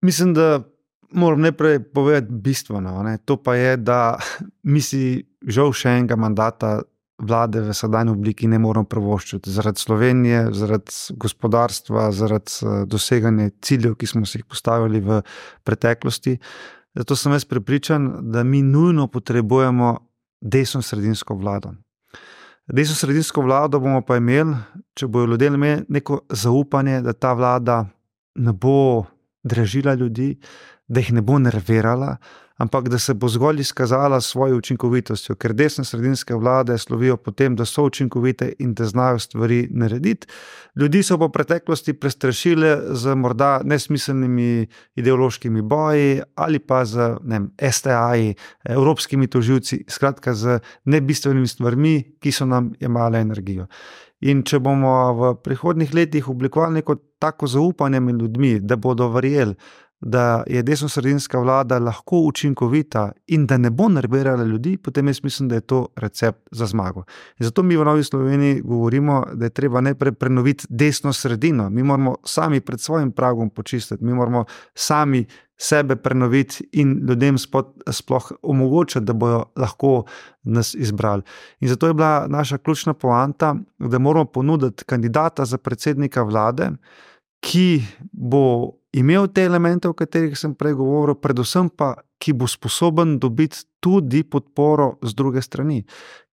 Speaker 2: Mislim, da moram najprej povedati bistveno, ne? To pa je, da mi si žal še enega mandata vlade v sedanji obliki ne moramo privoščiti. Zaradi Slovenije, zaradi gospodarstva, zaradi doseganja ciljev, ki smo si jih postavili v preteklosti. Zato sem jaz prepričan, da mi nujno potrebujemo desno-sredinsko vlado. Desno-sredinsko vlado bomo pa imeli, če bojo ljudje imeli neko zaupanje, da ta vlada ne bo dražila ljudi, da jih ne bo nervirala, ampak da se bo zgolj izkazala svojo učinkovitostjo, ker desno-sredinske vlade slovijo po tem, da so učinkovite in da znajo stvari narediti. Ljudi so po preteklosti prestrašile z morda nesmiselnimi ideološkimi boji ali pa z ne vem, es te a-ji, evropskimi tožilci, skratka z nebistvenimi stvarmi, ki so nam jemale energijo. In če bomo v prihodnjih letih oblikovali neko tako zaupanje med ljudmi, da bodo verjeli, da je desno-sredinska vlada lahko učinkovita in da ne bo nervirala ljudi, potem jaz mislim, da je to recept za zmago. In zato mi v Novi Sloveniji govorimo, da je treba najprej prenoviti desno sredino. Mi moramo sami pred svojim pragom počistiti, mi moramo sami sebe prenoviti in ljudem sploh omogočiti, da bojo lahko nas izbrali. In zato je bila naša ključna poanta, da moramo ponuditi kandidata za predsednika vlade, ki bo imel te elemente, o katerih sem prej govoril, predvsem pa, ki bo sposoben dobiti tudi podporo z druge strani.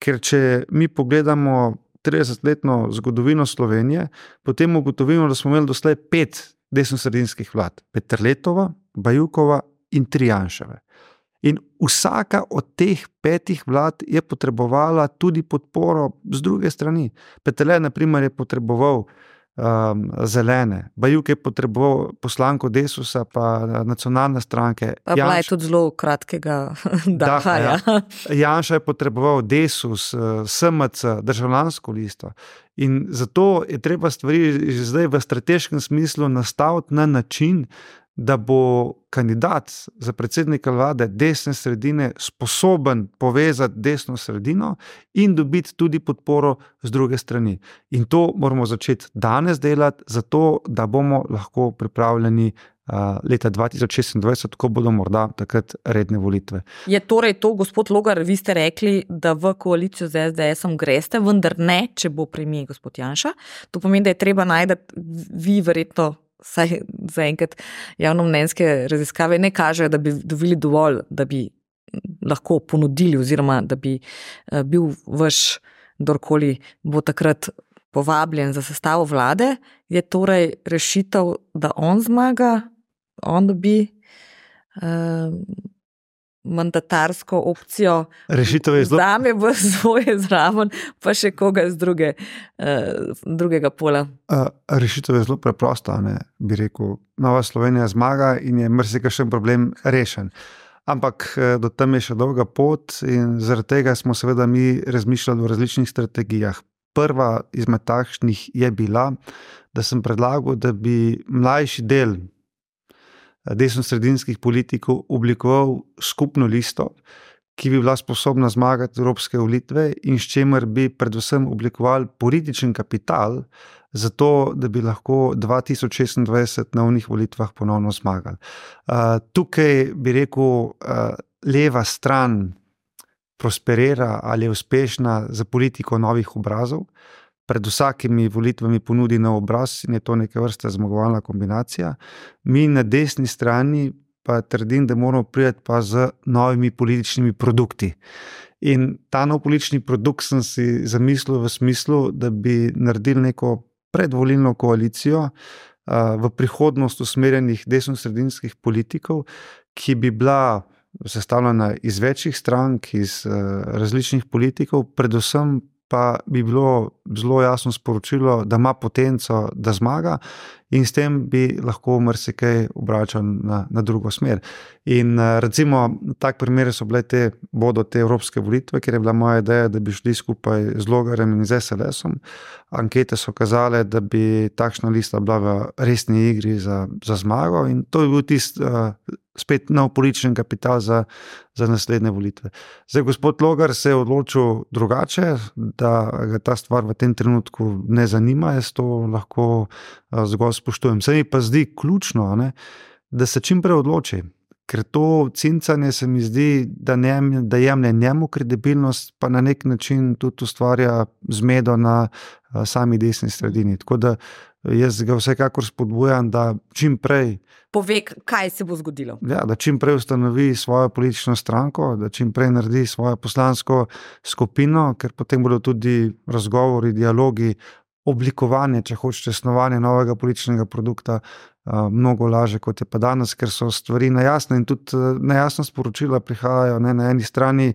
Speaker 2: Ker če mi pogledamo tridesetletno zgodovino Slovenije, potem ugotovimo, da smo imeli doslej pet desnosredinskih vlad. Peterletova, Bajukova in tri Janševe. In vsaka od teh petih vlad je potrebovala tudi podporo z druge strani. Peterle, na primer, je potreboval Um, zelene. Bajuk je potreboval poslanko Desusa pa nacionalne stranke.
Speaker 1: Pa bila je tudi zelo kratkega daha. Ja.
Speaker 2: Janša je potreboval Desus, es em ce, državljansko listo. In zato je treba stvari že zdaj v strateškem smislu nastaviti na način, da bo kandidat za predsednika vlade desne sredine sposoben povezati desno sredino in dobiti tudi podporo z druge strani. In to moramo začeti danes delati, zato da bomo lahko pripravljeni uh, leta dva tisoč šestindvajset, ko bodo morda takrat redne volitve.
Speaker 1: Je torej to, gospod Logar, vi ste rekli, da v koalicijo z es de esom greste, vendar ne, če bo premier gospod Janša. To pomeni, da je treba najti, vi verjetno saj zaenkrat javnomnenjske raziskave ne kažejo, da bi dobili dovolj, da bi lahko ponudili oziroma da bi bil vaš, kdorkoli bo takrat povabljen za sestavo vlade, je torej rešitev, da on zmaga, on dobi uh, mandatarsko opcijo,
Speaker 2: zelo...
Speaker 1: zame v svoje zraven, pa še koga z druge, uh, drugega pola.
Speaker 2: Uh, rešitev je zelo preprosta, ne, bi rekel. Nova Slovenija zmaga in je marsikakšen problem rešen. Ampak do tam je še dolga pot in zaradi tega smo seveda mi razmišljali o različnih strategijah. Prva izmed takšnih je bila, da sem predlagal, da bi mlajši del desnosredinskih politikov oblikoval skupno listo, ki bi bila sposobna zmagati evropske volitve in s čimer bi predvsem oblikovali političen kapital za to, da bi lahko dva tisoč šestindvajset na onih volitvah ponovno zmagali. Uh, tukaj bi rekel, uh, leva stran prosperira ali je uspešna za politiko novih obrazov. pred vsakimi volitvami ponudi nov obraz in je to neka vrsta zmagovalna kombinacija. Mi na desni strani pa trdim, da moramo priti pa z novimi političnimi produkti. In ta nov politični produkt sem si zamislil v smislu, da bi naredili neko predvolilno koalicijo v prihodnost usmerjenih desnosredinskih politikov, ki bi bila sestavljena iz večjih strank, iz različnih politikov, predvsem pa bi bilo zelo jasno sporočilo, da ima potenco, da zmaga in s tem bi lahko marsikaj obračal na, na drugo smer. In recimo, tak primer so bile te, bodo te evropske volitve, kjer je bila moja ideja, da bi šli skupaj z Logarjem in z es el esom. Ankete so kazale, da bi takšna lista bila v resni igri za, za zmago in to je bil tist uh, spet nov politični kapital za, za naslednje volitve. Zdaj, gospod Logar se je odločil drugače, da ga ta stvar v tem trenutku ne zanima, jaz to lahko uh, zgolj spoštujem. Se mi pa zdi ključno, ne, da se čim prej odloči, ker to cincanje se mi zdi, da, ne, da jemlje njemu kredibilnost, pa na nek način tudi ustvarja zmedo na uh, sami desni sredini. Tako da jaz ga vsekakor spodbujam, da čim prej
Speaker 1: pove, kaj se bo zgodilo.
Speaker 2: Ja, da čim prej ustanovi svojo politično stranko, da čim prej naredi svojo poslansko skupino, ker potem bodo tudi razgovori, dialogi, oblikovanje, če hočete, snovanje novega političnega produkta uh, mnogo laže, kot je pa danes, ker so stvari nejasne in tudi uh, nejasna sporočila prihajajo, ne, na eni strani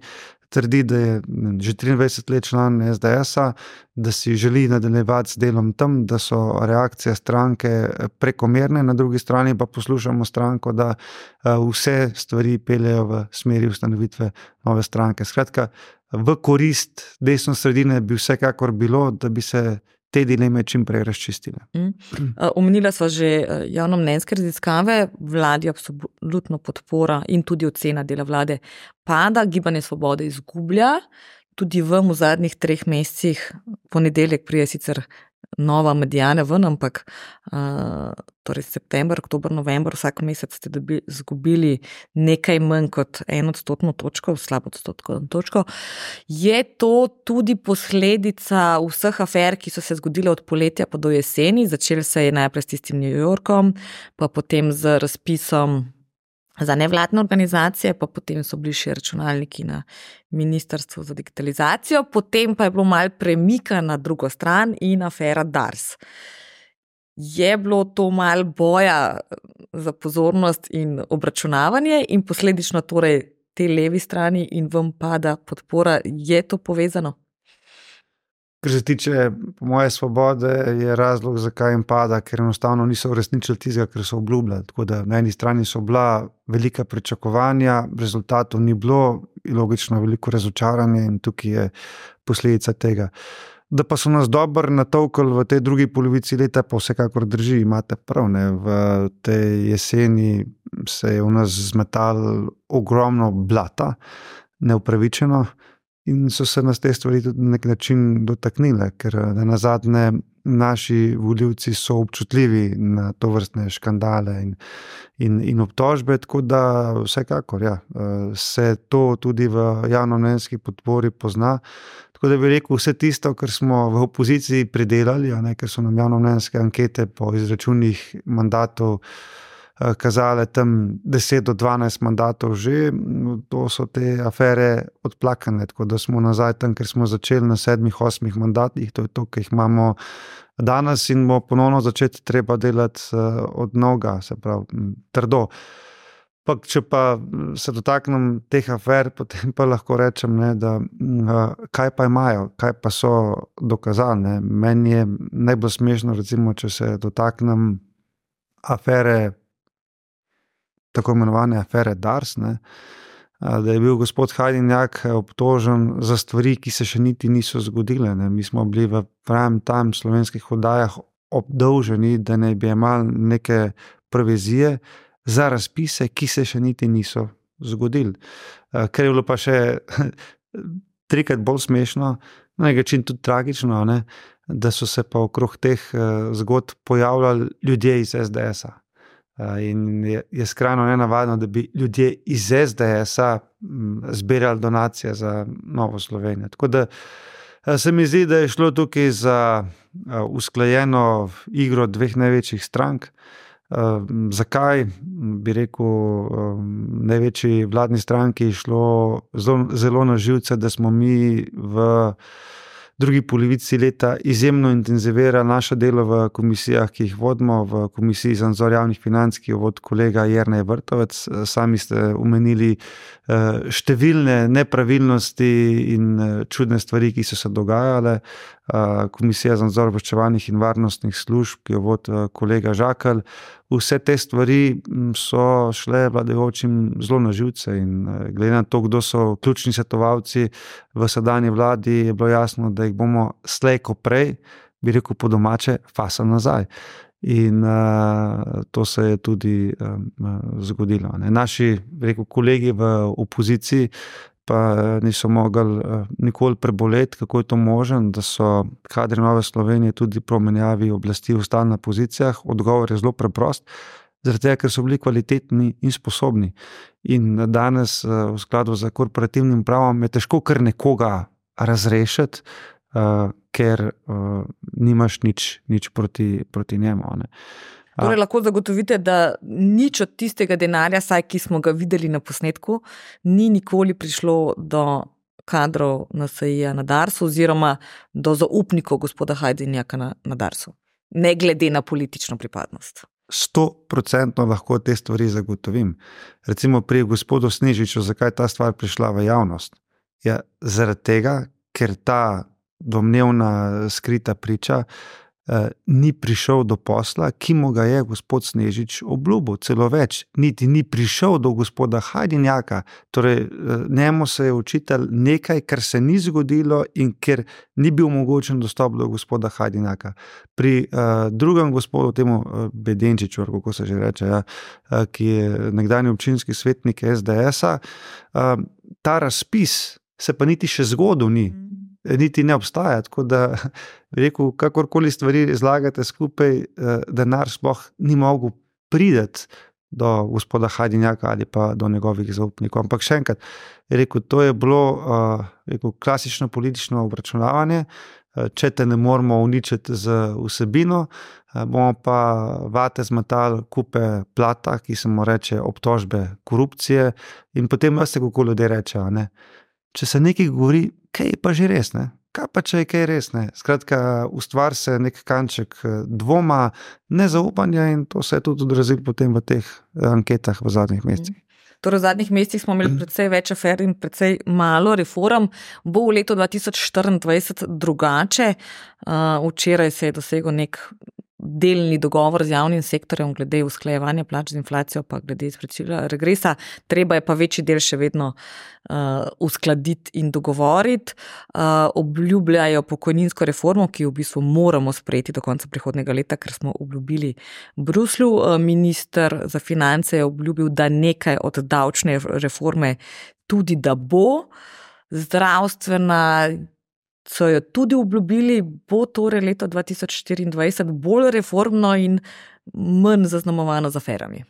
Speaker 2: trdi, da je že triindvajset let član es de esa, da si želi nadaljevati z delom tam, da so reakcije stranke prekomerne, na drugi strani pa poslušamo stranko, da vse stvari peljejo v smeri ustanovitve nove stranke. Skratka, v korist desno sredine bi vsekakor bilo, da bi se te dileme čim prej razčistile.
Speaker 1: Mm. Omenila sva že javnomnenjske raziskave, vladi absolutno podpora in tudi ocena dela vlade pada, Gibanje Svobode izgublja, tudi vam v zadnjih treh mesecih, ponedeljek prije sicer nova medijane ven, ampak uh, torej september, oktober, november, vsak mesec ste dobi, zgubili nekaj manj kot en odstotno točko, slabo odstotno točko. Je to tudi posledica vseh afer, ki so se zgodile od poletja pa do jeseni? Začeli se je najprej s tistim New Yorkom, pa potem z razpisom za nevladne organizacije, pa potem so bili še računalniki na Ministrstvu za digitalizacijo, potem pa je bilo malo premika na drugo stran in afera Dars. Je bilo to malo boja za pozornost in obračunavanje in posledično torej te levi strani in vam pada podpora, je to povezano?
Speaker 2: Kar se tiče, po moje, Svobode, je razlog, zakaj jim pada, ker enostavno niso uresničili tistega, kar so obljubljali. Tako da na eni strani so bila velika pričakovanja, rezultatov ni bilo, logično veliko razočaranje in tukaj je posledica tega. Da pa so nas dobro natolkali v tej drugi polovici leta, pa vsekakor drži, imate prav, ne, v tej jeseni se je v nas zmetalo ogromno blata, neupravičeno, in so se nas te stvari tudi na nek način dotaknile, ker nazadnje naši volivci so občutljivi na to vrstne škandale in, in, in obtožbe, tako da vsekakor ja, se to tudi v javnomnenjski podpori pozna. Tako da bi rekel, vse tisto, kar smo v opoziciji pridelali, a ne, ker so nam javnomnenjske ankete po izračunih mandatov kazale tam deset do dvanajst mandatov že, to so te afere odplakane, tako da smo nazaj tam, ker smo začeli na sedmih, osmih mandatih, to je to, ki jih imamo danes in bo ponovno začeti treba delati od novega, se pravi, trdo. Pa, če pa se dotaknem teh afer, potem pa lahko rečem, ne, da kaj pa imajo, kaj pa so dokazali. Ne. Meni je najbolj smešno, recimo, če se dotaknem afere, tako imenovane afere Dars, ne, da je bil gospod Hajdinjak obtožen za stvari, ki se še niti niso zgodile. Ne. Mi smo bili v pravem tam slovenskih oddajah obdolženi, da ne bi imeli neke provizije za razpise, ki se še niti niso zgodili. Ker je bilo pa še trikrat bolj smešno, na nek način tudi tragično, ne, da so se pa okrog teh zgodb pojavljali ljudje iz es de esa. In je, je skrajno nenavadno, da bi ljudje iz es de esa zbirali donacije za Novo Slovenijo. Tako da Se mi zdi, da je šlo tukaj za usklajeno igro dveh največjih strank. Zakaj? Bi rekel, največji vladni stranki je šlo zelo, zelo na živce, da smo mi v drugi polovici leta izjemno intenzivirali naše delo v komisijah, ki jih vodimo, v komisiji za nadzor javnih financ, ki jo vodi kolega Jernej Vrtovec. Sami ste omenili številne nepravilnosti in čudne stvari, ki so se dogajale. Komisija za nadzor obveščevalnih in varnostnih služb, ki jo vodi kolega Žakelj. Vse te stvari so šle vladajočim zelo na živce in glede na to, kdo so ključni svetovalci v sedanji vladi, je bilo jasno, da jih bomo slej ko prej, bi rekel po domače, fasali nazaj. In uh, to se je tudi um, zgodilo. Ne. Naši, bi rekel, kolegi v opoziciji pa niso mogli uh, nikoli preboleti, kako je to možen, da so kadri Nove Slovenije tudi po menjavi oblasti ostali na pozicijah. Odgovor je zelo preprost, zaradi tega, ker so bili kvalitetni in sposobni. In danes uh, v skladu z korporativnim pravom je težko kar nekoga razrešiti, uh, ker uh, nimaš nič, nič proti, proti njemu. Ne.
Speaker 1: Torej, lahko zagotovite, da nič od tistega denarja, saj ki smo ga videli na posnetku, ni nikoli prišlo do kadrov N S I-ja na Darsu oziroma do zaupnikov gospoda Hajdinjaka na, na Darsu, ne glede na politično pripadnost.
Speaker 2: Sto procentno lahko te stvari zagotovim. Recimo pri gospodu Snežiču, zakaj ta stvar prišla v javnost? Ja, zaradi tega, ker ta domnevna skrita priča ni prišel do posla, ki mu ga je gospod Snežič obljubil, celo več, niti ni prišel do gospoda Hajdinjaka, torej njemu se je očitalo nekaj, kar se ni zgodilo in ker ni bil omogočen dostop do gospoda Hajdinjaka. Pri uh, drugem gospodu, temu uh, Bedenčiču, kako se že reče, ja, uh, ki je nekdanji občinski svetnik S D S-a, uh, ta razpis se pa niti še zgodil ni. Niti ne obstaja, tako da rekel, kakorkoli stvari zlagate skupaj, denar sploh ni mogel priti do gospoda Hajdinjaka ali pa do njegovih zaupnikov. Ampak še enkrat, rekel, to je bilo rekel, klasično politično obračunavanje, če te ne moramo uničiti z vsebino, bomo pa vate zmetali kupe plata, ki se mu reče obtožbe korupcije in potem veste, kako ljudje rečejo, ne. Če se nekaj govori, kaj je pa že res, ne? Kaj pa če je kaj res, ne? Skratka, ustvar se nek kanček dvoma, nezaupanja in to se je tudi odrazilo potem v teh anketah v zadnjih mesecih.
Speaker 1: Torej v zadnjih mesecih smo imeli precej več afer in precej malo reform. Bo v letu dva tisoč štiriindvajset drugače. Včeraj se je dosegel nek delni dogovor z javnim sektorjem glede usklajevanja plač z inflacijo, pa glede izplačila regresa. Treba je pa večji del še vedno uh, uskladiti in dogovoriti. Uh, obljubljajo pokojninsko reformo, ki jo v bistvu moramo sprejeti do konca prihodnjega leta, ker smo obljubili Bruslju. Uh, minister za finance je obljubil, da nekaj od davčne reforme tudi da bo. Zdravstvena so jo tudi obljubili, bo torej leto dva tisoč štiriindvajset bolj reformno in manj zaznamovano z aferami.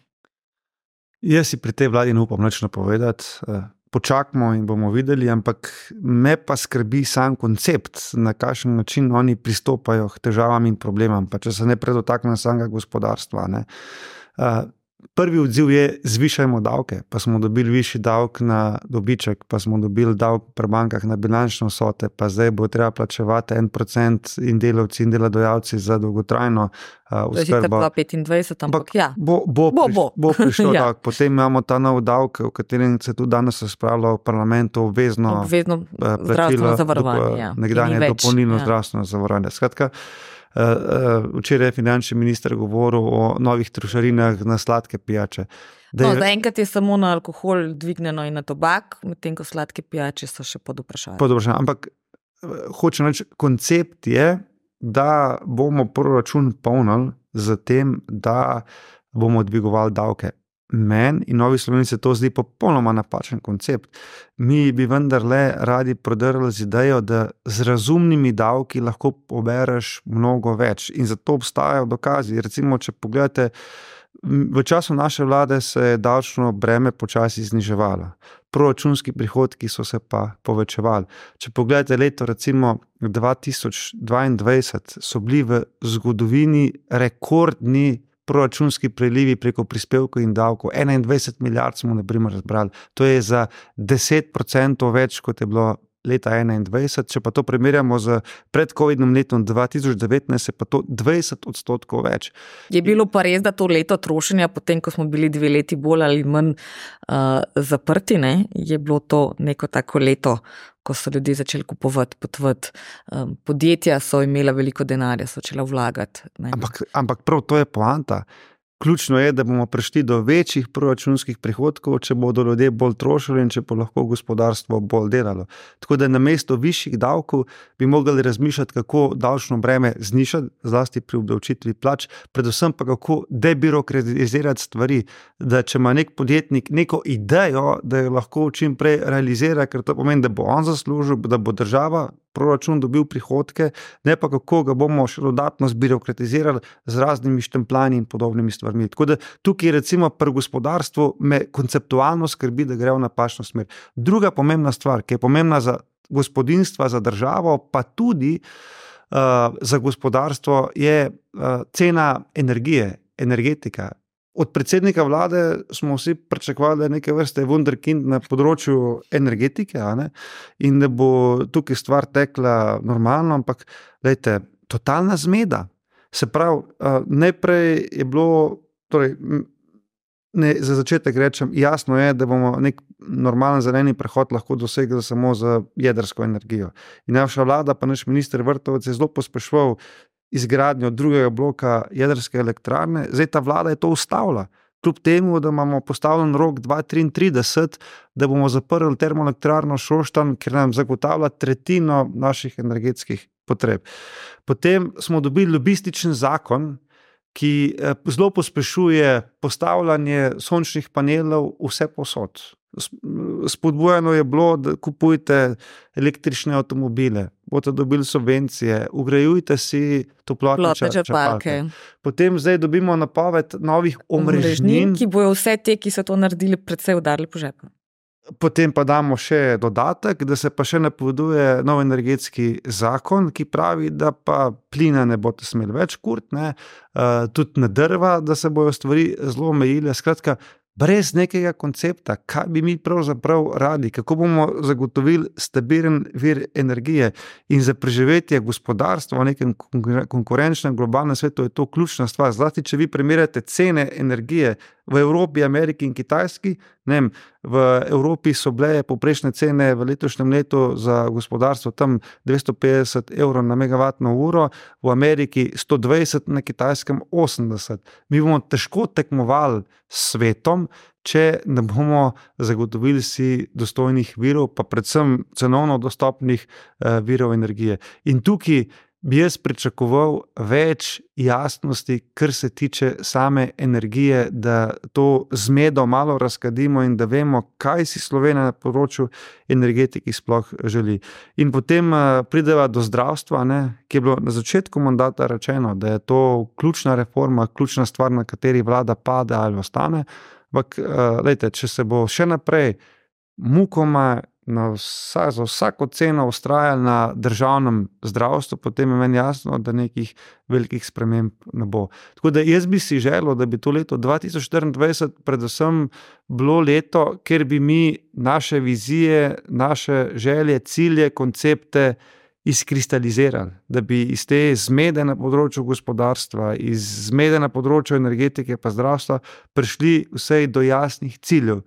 Speaker 2: Jaz si pri tej vladi ne upam nič napovedati, počakamo in bomo videli, ampak me pa skrbi sam koncept, na kakšen način oni pristopajo k težavam in problemam, pa če se ne predotakne samega gospodarstva, ne. Prvi odziv je, zvišajmo davke, pa smo dobili višji davek na dobiček, pa smo dobili davek pri bankah na bilančne vsote, pa zdaj bo treba plačevati en procent in delavci in delodajalci za dolgotrajno uh, oskrbo.
Speaker 1: dva petindvajset, ampak ja.
Speaker 2: Bo, bo,
Speaker 1: bo,
Speaker 2: priš,
Speaker 1: bo.
Speaker 2: bo prišlo
Speaker 1: ja.
Speaker 2: davek. Potem imamo ta nov davek, o katerem se tudi danes razpravlja v parlamentu, obvezno,
Speaker 1: obvezno zdravstveno zavarovanje. Ja.
Speaker 2: Nekdanje dopolnilno ja. zdravstveno zavarovanje. Skratka, Uh, uh, včeraj je finančni minister govoril o novih trošarinah na sladke pijače.
Speaker 1: No, je... Zaenkrat je samo na alkohol dvignjeno in na tobak, medtem ko sladke pijače so še pod vprašanjem.
Speaker 2: Pod vprašanjem. Ampak hočem reči, koncept je, da bomo proračun polnili z tem, da bomo dvigovali davke. Meni in Novi Sloveniji se to zdi popolnoma napačen koncept. Mi bi vendarle radi prodrli z idejo, da z razumnimi davki lahko pobereš mnogo več in zato obstajajo dokazi. Recimo, če pogledate V času naše vlade se je davčno breme počasi zniževalo. Proračunski prihodki so se pa povečevali. Če pogledate leto recimo dva tisoč dvaindvajset, so bili v zgodovini rekordni proračunski prilivi preko prispevkov in davkov. enaindvajset milijard smo na primer razbrali. To je za deset procentov več, kot je bilo leta enaindvajset, če pa to primerjamo z predcovidnim letom dva tisoč devetnajst, je pa to dvajset odstotkov več.
Speaker 1: Je bilo pa res, da to leto trošenja, potem ko smo bili dve leti bolj ali manj uh, zaprti, ne? Je bilo to neko tako leto, ko so ljudje začeli kupovati, potvati. Um, podjetja so imela veliko denarja, so začela vlagati.
Speaker 2: Ampak, ampak prav to je poanta. Ključno je, da bomo prišli do večjih proračunskih prihodkov, če bodo ljudje bolj trošili in če bo lahko gospodarstvo bolj delalo. Tako da namesto višjih davkov bi mogli razmišljati, kako davčno breme znižati, zlasti pri obdavčitvi plač, predvsem pa kako debirokratizirati stvari, da če ima nek podjetnik neko idejo, da jo lahko čim prej realizira, ker to pomeni, da bo on zaslužil, da bo država proračun dobil prihodke, ne pa kako ga bomo še dodatno zbirokratizirali z raznimi štempljanji in podobnimi stvarmi. Tako da tukaj recimo pri gospodarstvu me konceptualno skrbi, da gre v napačno smer. Druga pomembna stvar, ki je pomembna za gospodinjstva, za državo, pa tudi uh, za gospodarstvo, je uh, cena energije, energetika. Od predsednika vlade smo vsi pričakovali, da je neke vrste wunderkind na področju energetike, a ne? In da bo tukaj stvar tekla normalno, ampak lejte, totalna zmeda. Se pravi, najprej je bilo, torej, ne, za začetek rečem, jasno je, da bomo nek normalen zeleni prehod lahko dosegli samo z jedrsko energijo. In naša vlada, pa naš minister Vrtovec je zelo pospeševal izgradnjo drugega bloka jedrske elektrarne, zdaj ta vlada je to ustavila. Kljub temu, da imamo postavljen rok dva tisoč triintrideset, da bomo zaprli termoelektrarno Šoštanj, ker nam zagotavlja tretjino naših energetskih potreb. Potem smo dobili lobističen zakon, ki zelo pospešuje postavljanje sončnih panelov vse povsod. Spodbujano je bilo, da kupujte električne avtomobile, boste dobili subvencije, ugrajujte si toplotne črpalke. Potem zdaj dobimo napoved novih omrežnin,
Speaker 1: ki bojo vse te, ki so to naredili, predvsej udarili po žepu.
Speaker 2: Potem pa damo še dodatek, da se pa še napoveduje nov energetski zakon, ki pravi, da pa plina ne boste smeli več kuriti, ne, uh, tudi na drva, da se bojo stvari zelo omejile. Skratka, brez nekega koncepta, kaj bi mi pravzaprav radi, kako bomo zagotovili stabilen vir energije in za preživetje gospodarstva v nekem konkurenčnem globalnem svetu je to ključna stvar. Zlasti, če vi primerjate cene energije v Evropi, Ameriki in Kitajski, ne vem, v Evropi so bile povprečne cene v letošnjem letu za gospodarstvo tam dvesto petdeset evrov na megavatno uro, v Ameriki sto dvajset, na Kitajskem osemdeset. Mi bomo težko tekmovali s svetom, če ne bomo zagotovili si dostojnih virov, pa predvsem cenovno dostopnih eh, virov energije. In tukaj bi jaz pričakoval več jasnosti, kar se tiče same energije, da to zmedo malo razkadimo in da vemo, kaj si Slovenija na področju energetiki sploh želi. In potem prideva do zdravstva, ne, ki je bilo na začetku mandata rečeno, da je to ključna reforma, ključna stvar, na kateri vlada pade ali ostane. Ampak, lejte, če se bo še naprej mukoma na vsa, za vsako ceno vztrajali na državnem zdravstvu, potem je meni jasno, da nekih velikih sprememb ne bo. Tako da jaz bi si želel, da bi to leto dva tisoč štiriindvajset predvsem bilo leto, kjer bi mi naše vizije, naše želje, cilje, koncepte izkristalizirali, da bi iz te zmede na področju gospodarstva, iz zmede na področju energetike pa zdravstva prišli vsej do jasnih ciljev,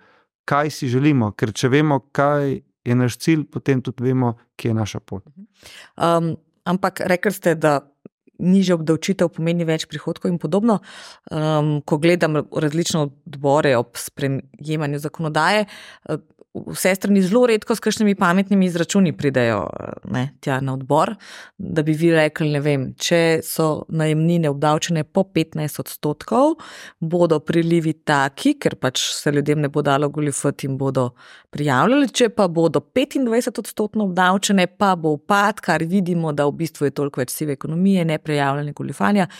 Speaker 2: kaj si želimo, ker če vemo, kaj je naš cilj, potem tudi vemo, kje je naša pot.
Speaker 1: Um, ampak rekli ste, da nižja obdavčitev pomeni več prihodkov in podobno. Um, ko gledam različne odbore ob sprejemanju zakonodaje, vse strani zelo redko s kakšnimi pametnimi izračuni pridejo ne, tja na odbor, da bi vi rekli, ne vem, če so najemnine obdavčene po petnajst odstotkov, bodo prilivi taki, ker pač se ljudem ne bo dalo goljufati in bodo prijavljali, če pa bodo petindvajset odstotno obdavčene, pa bo upad, kar vidimo, da v bistvu je toliko več sive ekonomije, neprijavljene goljufanja.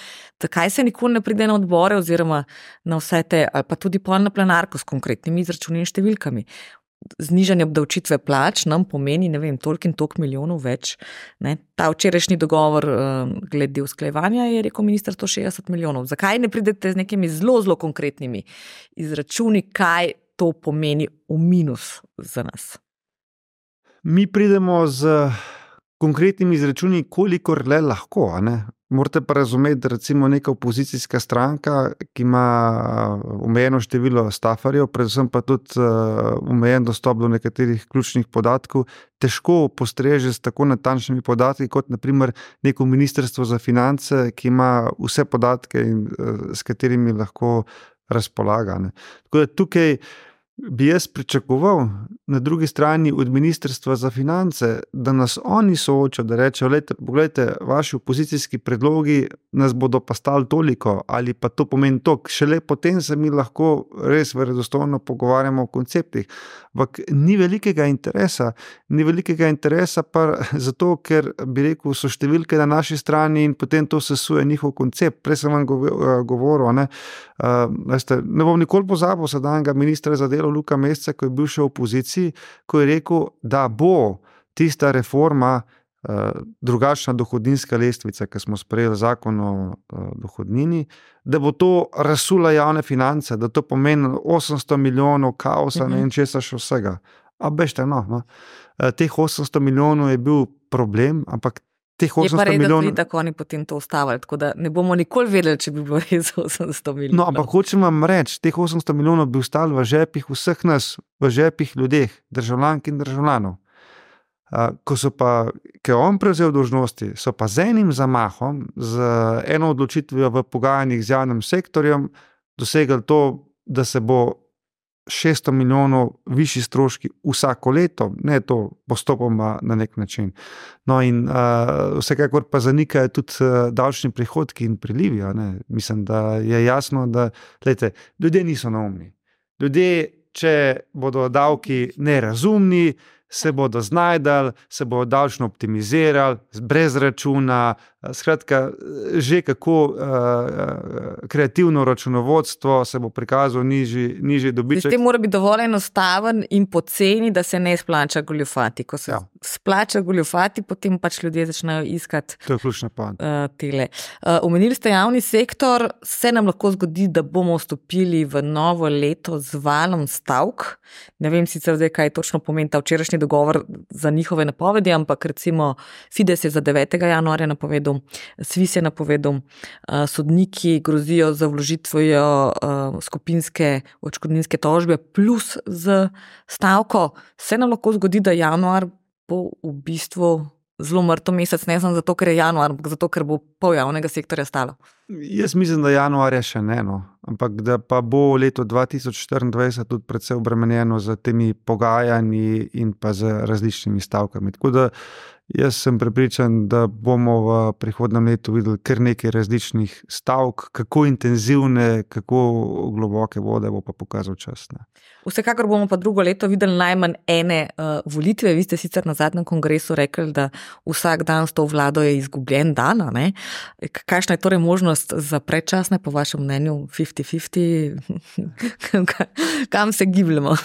Speaker 1: Zakaj se nikoli ne pride na odbore oziroma na vse te, ali pa tudi pol na plenarko s konkretnimi izračuni in številkami? Znižanje obdavčitve plač nam pomeni, ne vem, toliko in toliko milijonov več. Ne? Ta včerajšnji dogovor uh, glede usklajevanja je rekel minister sto šestdeset milijonov. Zakaj ne pridete z nekimi zelo, zelo konkretnimi izračuni, kaj to pomeni v minus za nas?
Speaker 2: Mi pridemo z konkretnimi izračuni, kolikor le lahko, a ne? Morate pa razumeti, recimo neka opozicijska stranka, ki ima omejeno število stafarjev, predvsem pa tudi omejen dostop do nekaterih ključnih podatkov, težko postreže s tako natančnimi podatki, kot na primer neko ministrstvo za finance, ki ima vse podatke, in, s katerimi lahko razpolaga. Ne. Tako da tukaj bi jaz pričakoval na drugi strani od ministrstva za finance, da nas oni soočajo, da rečejo, pogledajte, vaši opozicijski predlogi nas bodo pa stali toliko, ali pa to pomeni toliko. Šele potem se mi lahko res verodostojno pogovarjamo o konceptih. Ampak ni velikega interesa, ni velikega interesa pa zato, ker bi rekel, so številke na naši strani in potem to sesuje njihov koncept. Prej sem vam govoril, ne, uh, veste, ne bom nikoli pozabil sedanjega ministra za delo Luka Mesca, ko je bil še v opoziciji, ko je rekel, da bo tista reforma uh, drugačna dohodninska lestvica, ki smo sprejeli zakon o uh, dohodnini, da bo to razsula javne finance, da to pomeni osemsto milijonov kaosa, mm-hmm. ne in česa še vsega. A bežte, no, no. Uh, teh osemsto milijonov je bil problem, ampak teh osemsto
Speaker 1: je pa res,
Speaker 2: milijonov...
Speaker 1: da tako oni potem to ustavili, tako da ne bomo nikoli vedeli, če bi bilo res osemsto milijonov.
Speaker 2: No, ampak hočem vam reči, teh osemsto milijonov bi ostali v žepih vseh nas, v žepih ljudeh, državljank in državljanov. Ko so pa, ko je on prevzel dolžnosti, so pa z enim zamahom, z eno odločitvijo v pogajanjih z javnim sektorjem, dosegli to, da se bo šeststo milijonov višji stroški vsako leto, ne to postopoma na nek način. No in uh, vsekakor pa zanikajo tudi uh, davčni prihodki in prilivi. Ne? Mislim, da je jasno, da glejte, ljudje niso neumni. Ljudje, če bodo davki nerazumni, se bodo znajdali, se bodo davčno optimizirali, brez računa, skratka, že kako uh, kreativno računovodstvo se bo prikazal nižji, nižji dobiček.
Speaker 1: Sistem mora biti dovolj enostaven in poceni, da se ne splača goljufati. Ko se ja. splača goljufati, potem pač ljudje začnejo iskati
Speaker 2: to je ključna poanta.
Speaker 1: Uh, tele. Uh, omenili ste javni sektor, se nam lahko zgodi, da bomo vstopili v novo leto z valom stavk. Ne vem sicer zdaj, kaj točno pomeni ta včerajšnji dogovor za njihove napovedi, ampak recimo Fides je za devetega januarja napovedal, Svis je napovedal, sodniki grozijo za vložitvijo skupinske odškodninske tožbe plus z stavko. Se nam lahko zgodi, da januar bo v bistvu zelo mrtev mesec, ne samo zato, ker je januar, ampak zato, ker bo pol javnega sektorja stalo.
Speaker 2: Jaz mislim, da januarja še ne, no. Ampak da pa bo leto dva tisoč štiriindvajset tudi predvsej obremenjeno z temi pogajanji in pa z različnimi stavkami. Tako da jaz sem prepričan, da bomo v prihodnem letu videli kar nekaj različnih stavk, kako intenzivne, kako globoke vode bo pa pokazal čas. Ne.
Speaker 1: Vsekakor bomo pa drugo leto videli najmanj ene uh, volitve. Vi ste sicer na zadnjem kongresu rekli, da vsak dan s to vlado je izgubljen dan. Ne? Kakšna je torej možnost za predčasne, po vašem mnenju, fifty fifty? Kam se gibljamo?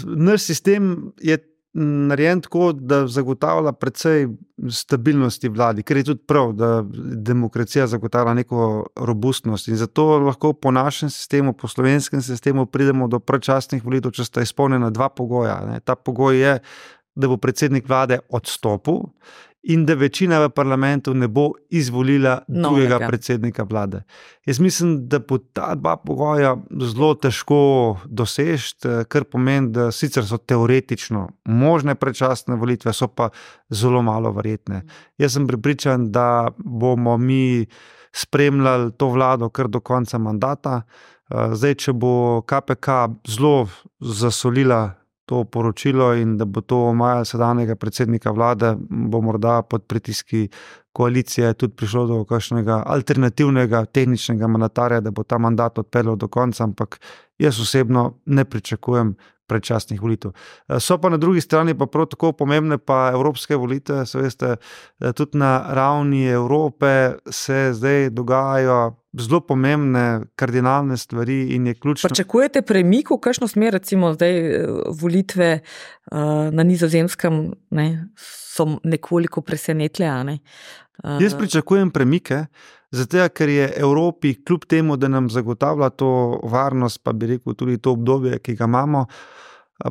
Speaker 2: Naš sistem je narejen tako, da zagotavlja precej stabilnosti vladi, ker je tudi prav, da demokracija zagotavlja neko robustnost in zato lahko po našem sistemu, po slovenskem sistemu pridemo do predčasnih volitev, če sta izpolnjena dva pogoja. Ne. Ta pogoj je, da bo predsednik vlade odstopil in da večina v parlamentu ne bo izvolila drugega no, predsednika vlade. Jaz mislim, da bo ta dva pogoja zelo težko dosežiti, kar pomeni, da sicer so teoretično možne predčasne volitve, so pa zelo malo verjetne. Jaz sem prepričan, da bomo mi spremljali to vlado kar do konca mandata. Zdaj, če bo K P K zelo zasolila to poročilo in da bo to omajalo sedanjega predsednika vlade, bo morda pod pritiski koalicije tudi prišlo do kakšnega alternativnega tehničnega mandatarja, da bo ta mandat odpeljal do konca, ampak jaz osebno ne pričakujem predčasnih volitev. So pa na drugi strani pa prav tako pomembne pa evropske volitve, se veste, tudi na ravni Evrope se zdaj dogajajo zelo pomembne, kardinalne stvari in je ključno.
Speaker 1: Pričakujete premik v kakšno smer, recimo zdaj volitve uh, na Nizozemskem, ne, so nekoliko presenetle, a ne? Uh,
Speaker 2: Jaz pričakujem premike, zato ker je Evropi kljub temu, da nam zagotavlja to varnost, pa bi rekel tudi to obdobje, ki ga imamo,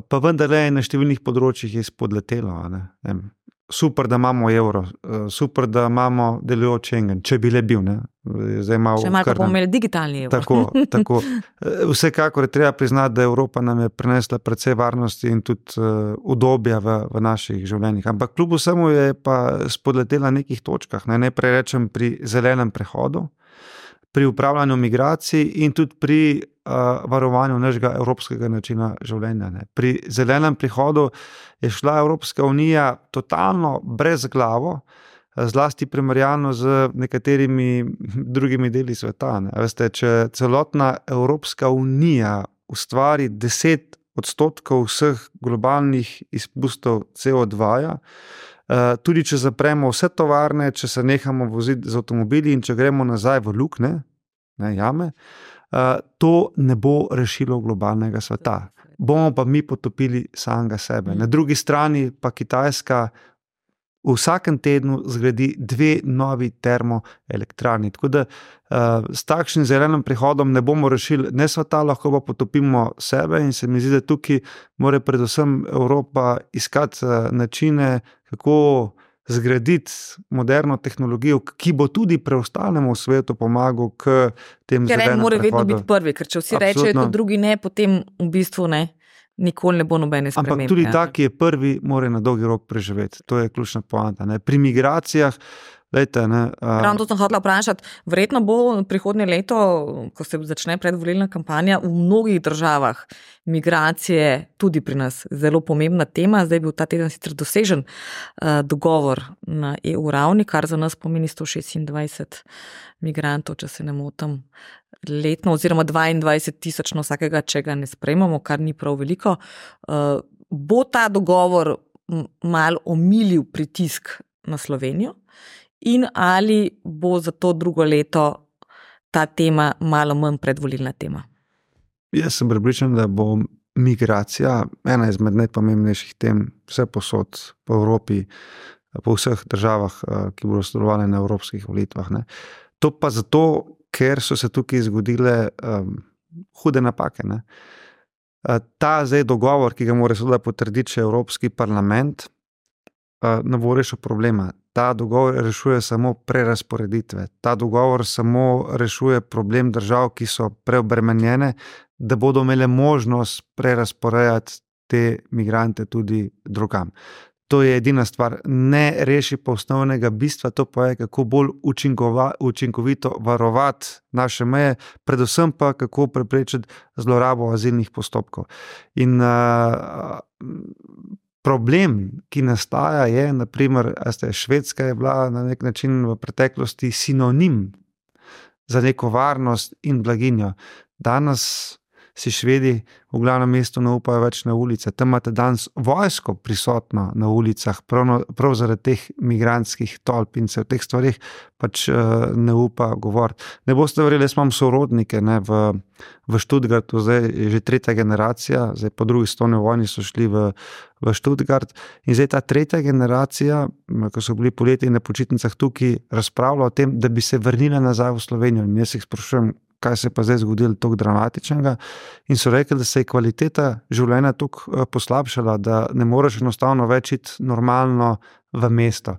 Speaker 2: pa vendar je na številnih področjih izpodletelo. Ne? Super, da imamo evro, super, da imamo delujoč Schengen, če bi le bil. Ne? Zdaj malo
Speaker 1: Še malo pa bomo imeli digitalni evro.
Speaker 2: Tako, tako. Vsekakor je treba priznati, da Evropa nam je prinesla precej varnosti in tudi udobja v, v naših življenjih. Ampak kljub vsemu je pa spodletela na nekih točkah. Naj najprej rečem pri zelenem prehodu, pri upravljanju migracij in tudi pri uh, varovanju našega evropskega načina življenja. Ne. Pri zelenem prehodu je šla Evropska unija totalno brezglavo, zlasti primerjalno z nekaterimi drugimi deli sveta. Ne. Veste, če celotna Evropska unija ustvari deset odstotkov vseh globalnih izpustov C O dva, Uh, tudi če zapremo vse tovarne, če se nehamo voziti z avtomobili in če gremo nazaj v lukne, ne, jame, uh, to ne bo rešilo globalnega sveta. Bomo pa mi potopili samega sebe. Na drugi strani pa Kitajska v vsakem tednu zgradi dve novi termoelektrarni. Tako da uh, s takšnim zelenim prehodom ne bomo rešili ne sveta, lahko pa potopimo sebe in se mi zdi, da tukaj mora predvsem Evropa iskati uh, načine, kako zgraditi moderno tehnologijo, ki bo tudi preostalemu svetu pomagal k tem
Speaker 1: ker
Speaker 2: zelenem prehodu.
Speaker 1: Ker mora vedno biti prvi, ker če vsi rečejo, da drugi ne, potem v bistvu ne. Nikoli ne bo nobene spremembe.
Speaker 2: Ampak tudi ta, ki je prvi, mora na dolgi rok preživeti. To je ključna poanta. Ne? Pri migracijah, lejte, ne.
Speaker 1: Ravno to sem hotela vprašati. Verjetno bo prihodnje leto, ko se začne predvolilna kampanja, v mnogih državah migracije tudi pri nas zelo pomembna tema. Zdaj je bil ta teden sicer dosežen uh, dogovor na E U ravni, kar za nas pomeni sto šestindvajset migrantov, če se ne motim, letno, oziroma dvaindvajset tisoč na vsakega, če ga ne sprejmemo, kar ni prav veliko. Uh, bo ta dogovor malo omilil pritisk na Slovenijo in ali bo za to drugo leto ta tema malo manj predvolilna tema?
Speaker 2: Jaz sem prepričan, da bo migracija ena izmed najpomembnejših tem vse posod po Evropi, po vseh državah, ki bodo sodelovali na evropskih volitvah. Ne. To pa zato, ker so se tukaj zgodile um, hude napake. Ne. Ta zdaj dogovor, ki ga mora seveda potrditi še Evropski parlament, uh, ne bo rešil problema. Ta dogovor rešuje samo prerasporeditve. Ta dogovor samo rešuje problem držav, ki so preobremenjene, da bodo imele možnost prerasporejati te migrante tudi drugam. To je edina stvar. Ne reši pa osnovnega bistva, to pa je, kako bolj učinkova, učinkovito varovati naše meje, predvsem pa, kako preprečiti zlorabo azilnih postopkov. In uh, problem, ki nastaja, je, naprimer, Švedska je bila na nek način v preteklosti sinonim za neko varnost in blaginjo. Danes si Švedi v glavnem mestu ne upajo več na ulice. Tam imate danes vojsko prisotno na ulicah, prav, no, prav zaradi teh migrantskih tolp in se v teh stvarih pač uh, ne upa govoriti. Ne boste verjeli, jaz imam sorodnike ne, v, v Stuttgartu, zdaj je že tretja generacija, zdaj po drugi svetovni vojni so šli v, v Stuttgart in zdaj ta tretja generacija, ko so bili poleti na počitnicah tukaj, razpravlja o tem, da bi se vrnila nazaj v Slovenijo in jaz jih sprašujem, kaj se je pa zdaj zgodilo tako dramatičnega in so rekli, da se je kvaliteta življenja tako poslabšala, da ne moreš enostavno več iti normalno v mesto.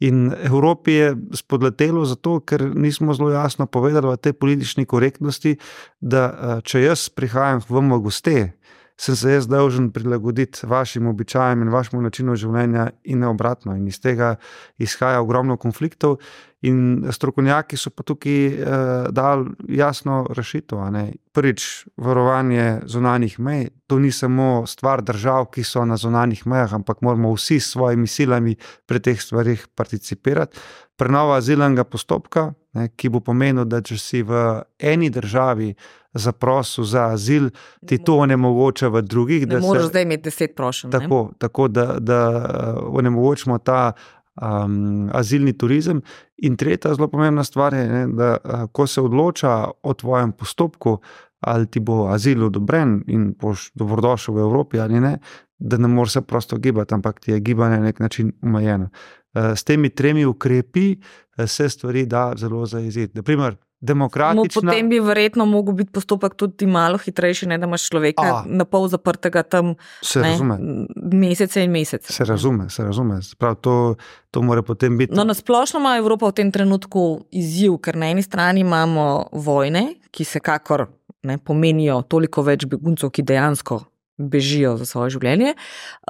Speaker 2: In Evropi je spodletelo zato, ker nismo zelo jasno povedali v tej politični korektnosti, da če jaz prihajam v goste, sem se jaz dolžen prilagoditi vašim običajem in vašemu načinu življenja in ne obratno. In iz tega izhaja ogromno konfliktov in strokovnjaki so pa tukaj eh, dali jasno rešitev. prvič varovanje zunanjih mej, to ni samo stvar držav, ki so na zunanjih mejah, ampak moramo vsi s svojimi silami pri teh stvarih participirati. Prenova azilnega postopka, ne, ki bo pomenil, da če si v eni državi zaprosil za azil, ti to onemogoča v drugih.
Speaker 1: Ne moraš zdaj imeti deset prošenj.
Speaker 2: Tako, tako da, da onemogočimo ta um, azilni turizem. In tretja zelo pomembna stvar je, ne, da ko se odloča o tvojem postopku, ali ti bo azil odobren in boš dobrodošel v Evropi ali ne, da ne moreš se prosto gibati, ampak ti je gibanje na nek način omejeno. S temi tremi ukrepi se stvari da zelo zajeziti. Naprimer, demokratična...
Speaker 1: No, potem bi verjetno mogel biti postopek tudi malo hitrejši, ne da imaš človeka A, na pol zaprtega tam ne, mesece in mesece.
Speaker 2: Se razume, se razume. Prav, to, to mora potem biti...
Speaker 1: No, nasplošno ima Evropa v tem trenutku izziv, ker na eni strani imamo vojne, ki se kakor ne, pomenijo toliko več beguncev, ki dejansko bežijo za svoje življenje,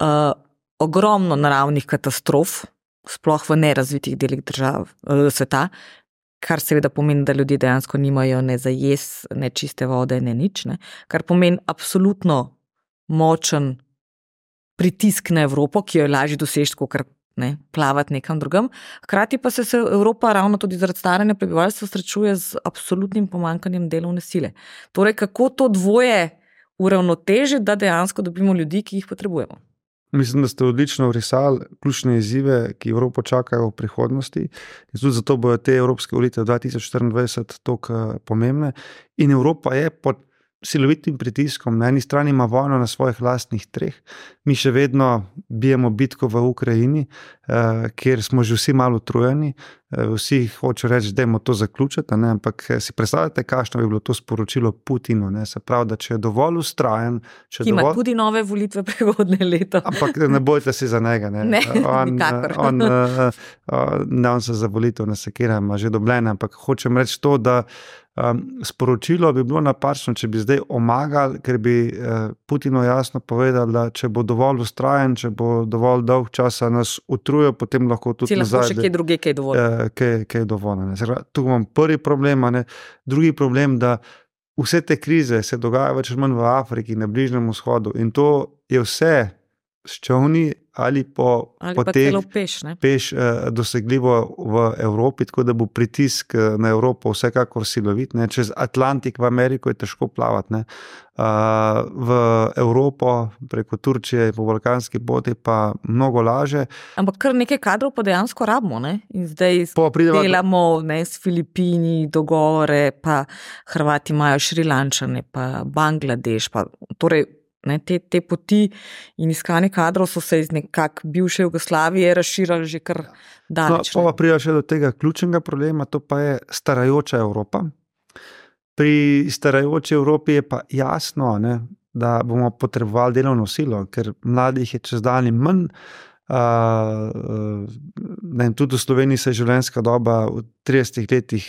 Speaker 1: uh, ogromno naravnih katastrof, sploh v nerazvitih delih držav, sveta, kar seveda pomeni, da ljudje dejansko nimajo ne za jesti, ne čiste vode, ne nič, ne? Kar pomeni absolutno močen pritisk na Evropo, ki jo je lažje doseči, kot ne, plavati nekam drugam. Hkrati pa se, se Evropa ravno tudi zaradi staranja prebivalstva srečuje z absolutnim pomanjkanjem delovne sile. Torej, kako to dvoje uravnotežiti, da dejansko dobimo ljudi, ki jih potrebujemo?
Speaker 2: Mislim, da ste odlično vrisali ključne izzive, ki Evropo čakajo v prihodnosti. In tudi zato bojo te evropske volitve dva tisoč štiriindvajset toliko pomembne. In Evropa je pod silovitim pritiskom. Na eni strani ima vojno na svojih lastnih treh. Mi še vedno bijemo bitko v Ukrajini, eh, kjer smo že vsi malo utrujeni. Eh, vsi hočejo reči, dajmo to zaključiti, ne? Ampak si predstavljate, kakšno bi bilo to sporočilo Putinu. Ne? Se pravi, da če je dovolj ustrajen... Če
Speaker 1: ki ima
Speaker 2: dovolj...
Speaker 1: tudi nove volitve prihodnje leto.
Speaker 2: Ampak ne bojte si za njega. Ne,
Speaker 1: ne
Speaker 2: on,
Speaker 1: nikakor.
Speaker 2: On, on, on, on se za volitev ne sekira, ima že dobljene, ampak hočem reči to, da Um, sporočilo bi bilo napačno, če bi zdaj omagali, ker bi uh, Putinu jasno povedal, da če bo dovolj ustrajen, če bo dovolj dolg časa nas utrujil, potem lahko tudi
Speaker 1: nazaj. Si lahko še kje druge, kaj je dovolj.
Speaker 2: Uh, kaj, kaj je dovolj. Tu imam prvi problem, ne? Drugi problem, da vse te krize se dogajajo več ali manj v Afriki, na Bližnjem vzhodu in to je vse s čovni ali po,
Speaker 1: ali
Speaker 2: po
Speaker 1: pa
Speaker 2: teh
Speaker 1: celo peš, ne?
Speaker 2: peš eh, dosegljivo v Evropi, tako da bo pritisk na Evropo vsekakor silovit. Ne? Čez Atlantik v Ameriko je težko plavati. Ne? Uh, v Evropo preko Turčije po balkanski poti pa mnogo laže.
Speaker 1: Ampak kar nekaj kadrov pa dejansko rabimo. Ne? In zdaj
Speaker 2: prideva...
Speaker 1: delamo ne, s Filipini dogovore, pa Hrvati imajo Šrilančane, pa Bangladeš, pa torej Ne, te, te poti in iskanje kadrov so se iz nekak bivše Jugoslavije razširali že kar daleč.
Speaker 2: No, pa prija še do tega ključnega problema, to pa je starajoča Evropa. Pri starajoči Evropi je pa jasno, ne, da bomo potrebovali delovno silo, ker mladih je čez dan manj. Uh, ne, tudi v Sloveniji se je življenjska doba v tridesetih letih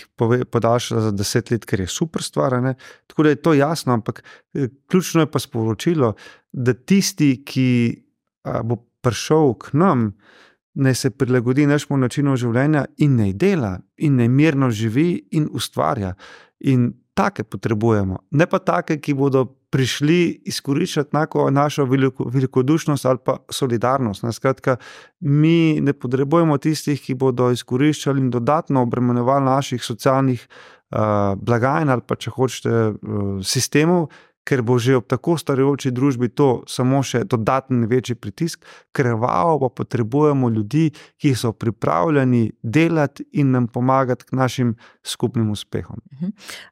Speaker 2: podaljšala za deset let, ker je super stvar, ne? Tako da je to jasno, ampak ključno je pa sporočilo, da tisti, ki uh, bo prišel k nam, naj se prilagodi našemu načinu življenja in naj dela, in naj mirno živi in ustvarja. In take potrebujemo, ne pa take, ki bodo prišli izkoriščati našo veliko, velikodušnost ali pa solidarnost. Skratka, mi ne potrebujemo tistih, ki bodo izkoriščali in dodatno obremenjevali naših socialnih uh, blagajn ali pa, če hočete, uh, sistemov, ker bo že ob tako starajoči družbi to samo še dodatni večji pritisk. Krvavo pa potrebujemo ljudi, ki so pripravljeni delati in nam pomagati k našim skupnim uspehom.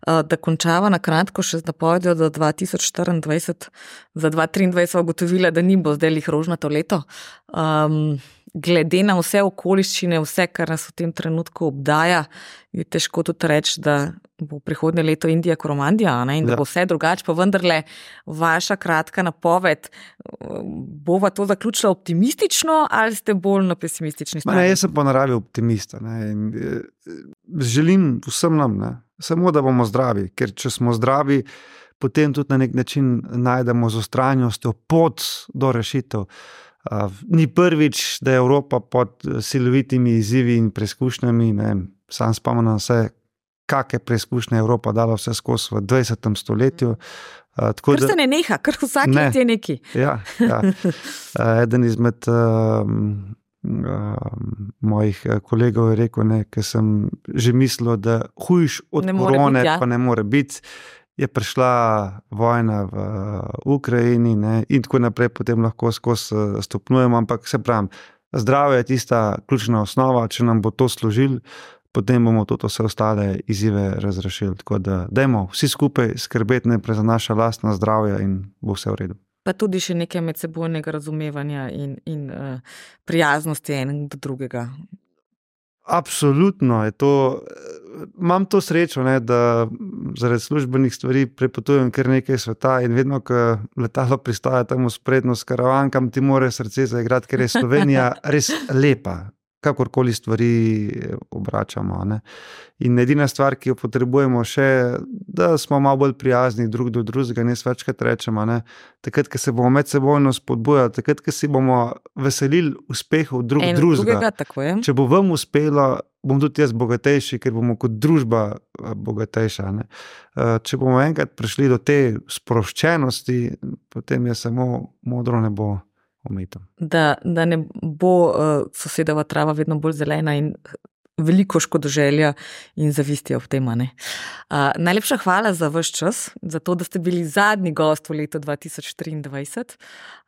Speaker 1: Da končava na kratko še z napovedjo do dva tisoč štiriindvajset, za dva tisoč triindvajset sva ugotovila, da ni bo zdaj lih rožnato leto. Um, glede na vse okoliščine, vse, kar nas v tem trenutku obdaja, je težko tudi reči, da bo prihodnje leto Indija koromandija, ne? In da ja. Bo vse drugače, pa vendarle vaša kratka napoved, bova to zaključila optimistično ali ste bolj na pesimistični strani?
Speaker 2: Ne, jaz sem po naravi optimista. Ne? In, želim vsem nam, ne? Samo da bomo zdravi, ker če smo zdravi, potem tudi na nek način najdemo z ustrajnostjo pot do rešitev. Uh, ni prvič, da je Evropa pod silovitimi izzivi in preizkušnjami, ne, sam spomnim vse, kakšne preizkušnje Evropa dala vse skozi v dvajsetem stoletju. Uh,
Speaker 1: kar se ne neha, kar vsak ne. let je neki.
Speaker 2: Ja, ja. Uh, eden izmed uh, uh, mojih kolegov je rekel, ne, ker sem že mislil, da hujš od ne korone biti, ja. pa ne more biti. Je prišla vojna v Ukrajini, ne, in tako naprej, potem lahko skozi stopnjujemo, ampak se pravim, zdravje je tista ključna osnova, če nam bo to služil, potem bomo tudi vse ostale izzive razrešili. Tako da dajmo vsi skupaj skrbeti najprej za naša lastna zdravja in bo vse v redu.
Speaker 1: Pa tudi še nekaj medsebojnega razumevanja in, in uh, prijaznosti enega do drugega.
Speaker 2: Absolutno je to. Imam to srečo, ne, da zaradi službenih stvari prepotujem kar nekaj sveta in vedno, ko letalo pristaja tam v sprednjo s karavankam, ti mora srce zaigrati, ker je Slovenija res lepa, kakorkoli stvari obračamo. Ne. In edina stvar, ki jo potrebujemo še, da smo malo bolj prijazni drug do drugega, ne večkrat rečemo, ne. Takrat, ko se bomo medsebojno spodbujali, takrat, ko si bomo veselili uspehov drug drugega. Če bo vam uspelo, bom tudi jaz bogatejši, ker bomo kot družba bogatejša. Ne. Če bomo enkrat prišli do te sproščenosti, potem je samo modro nebo omejitev.
Speaker 1: Da, da ne bo uh, sosedova trava vedno bolj zelena in veliko škodoželja in zavisti ob tem. Uh, najlepša hvala za vaš čas, za to, da ste bili zadnji gost v letu dva tisoč triindvajset.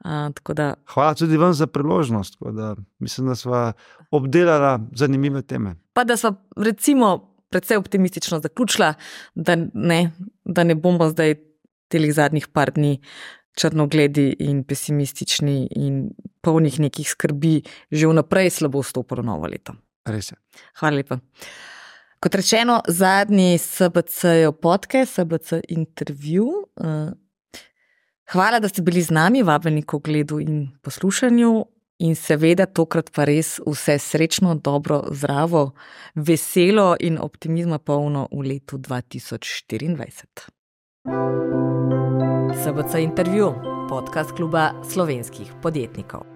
Speaker 1: Uh, tako da...
Speaker 2: Hvala tudi vam za priložnost, da mislim, da sva obdelala zanimive teme.
Speaker 1: Pa da sva recimo precej optimistično zaključila, da ne, da ne bomo zdaj telih zadnjih par dni črnogledi in pesimistični in polnih nekih skrbi že vnaprej slabo vstopilo novo leto.
Speaker 2: Res je.
Speaker 1: Hvala lepa. Kot rečeno, zadnji S B C-jev podcast, S B C intervju. Hvala, da ste bili z nami, vabljeni k ogledu in poslušanju in seveda tokrat pa res vse srečno, dobro, zdravo, veselo in optimizma polno v letu dva tisoč štiriindvajset. S B C intervju, podcast kluba slovenskih podjetnikov.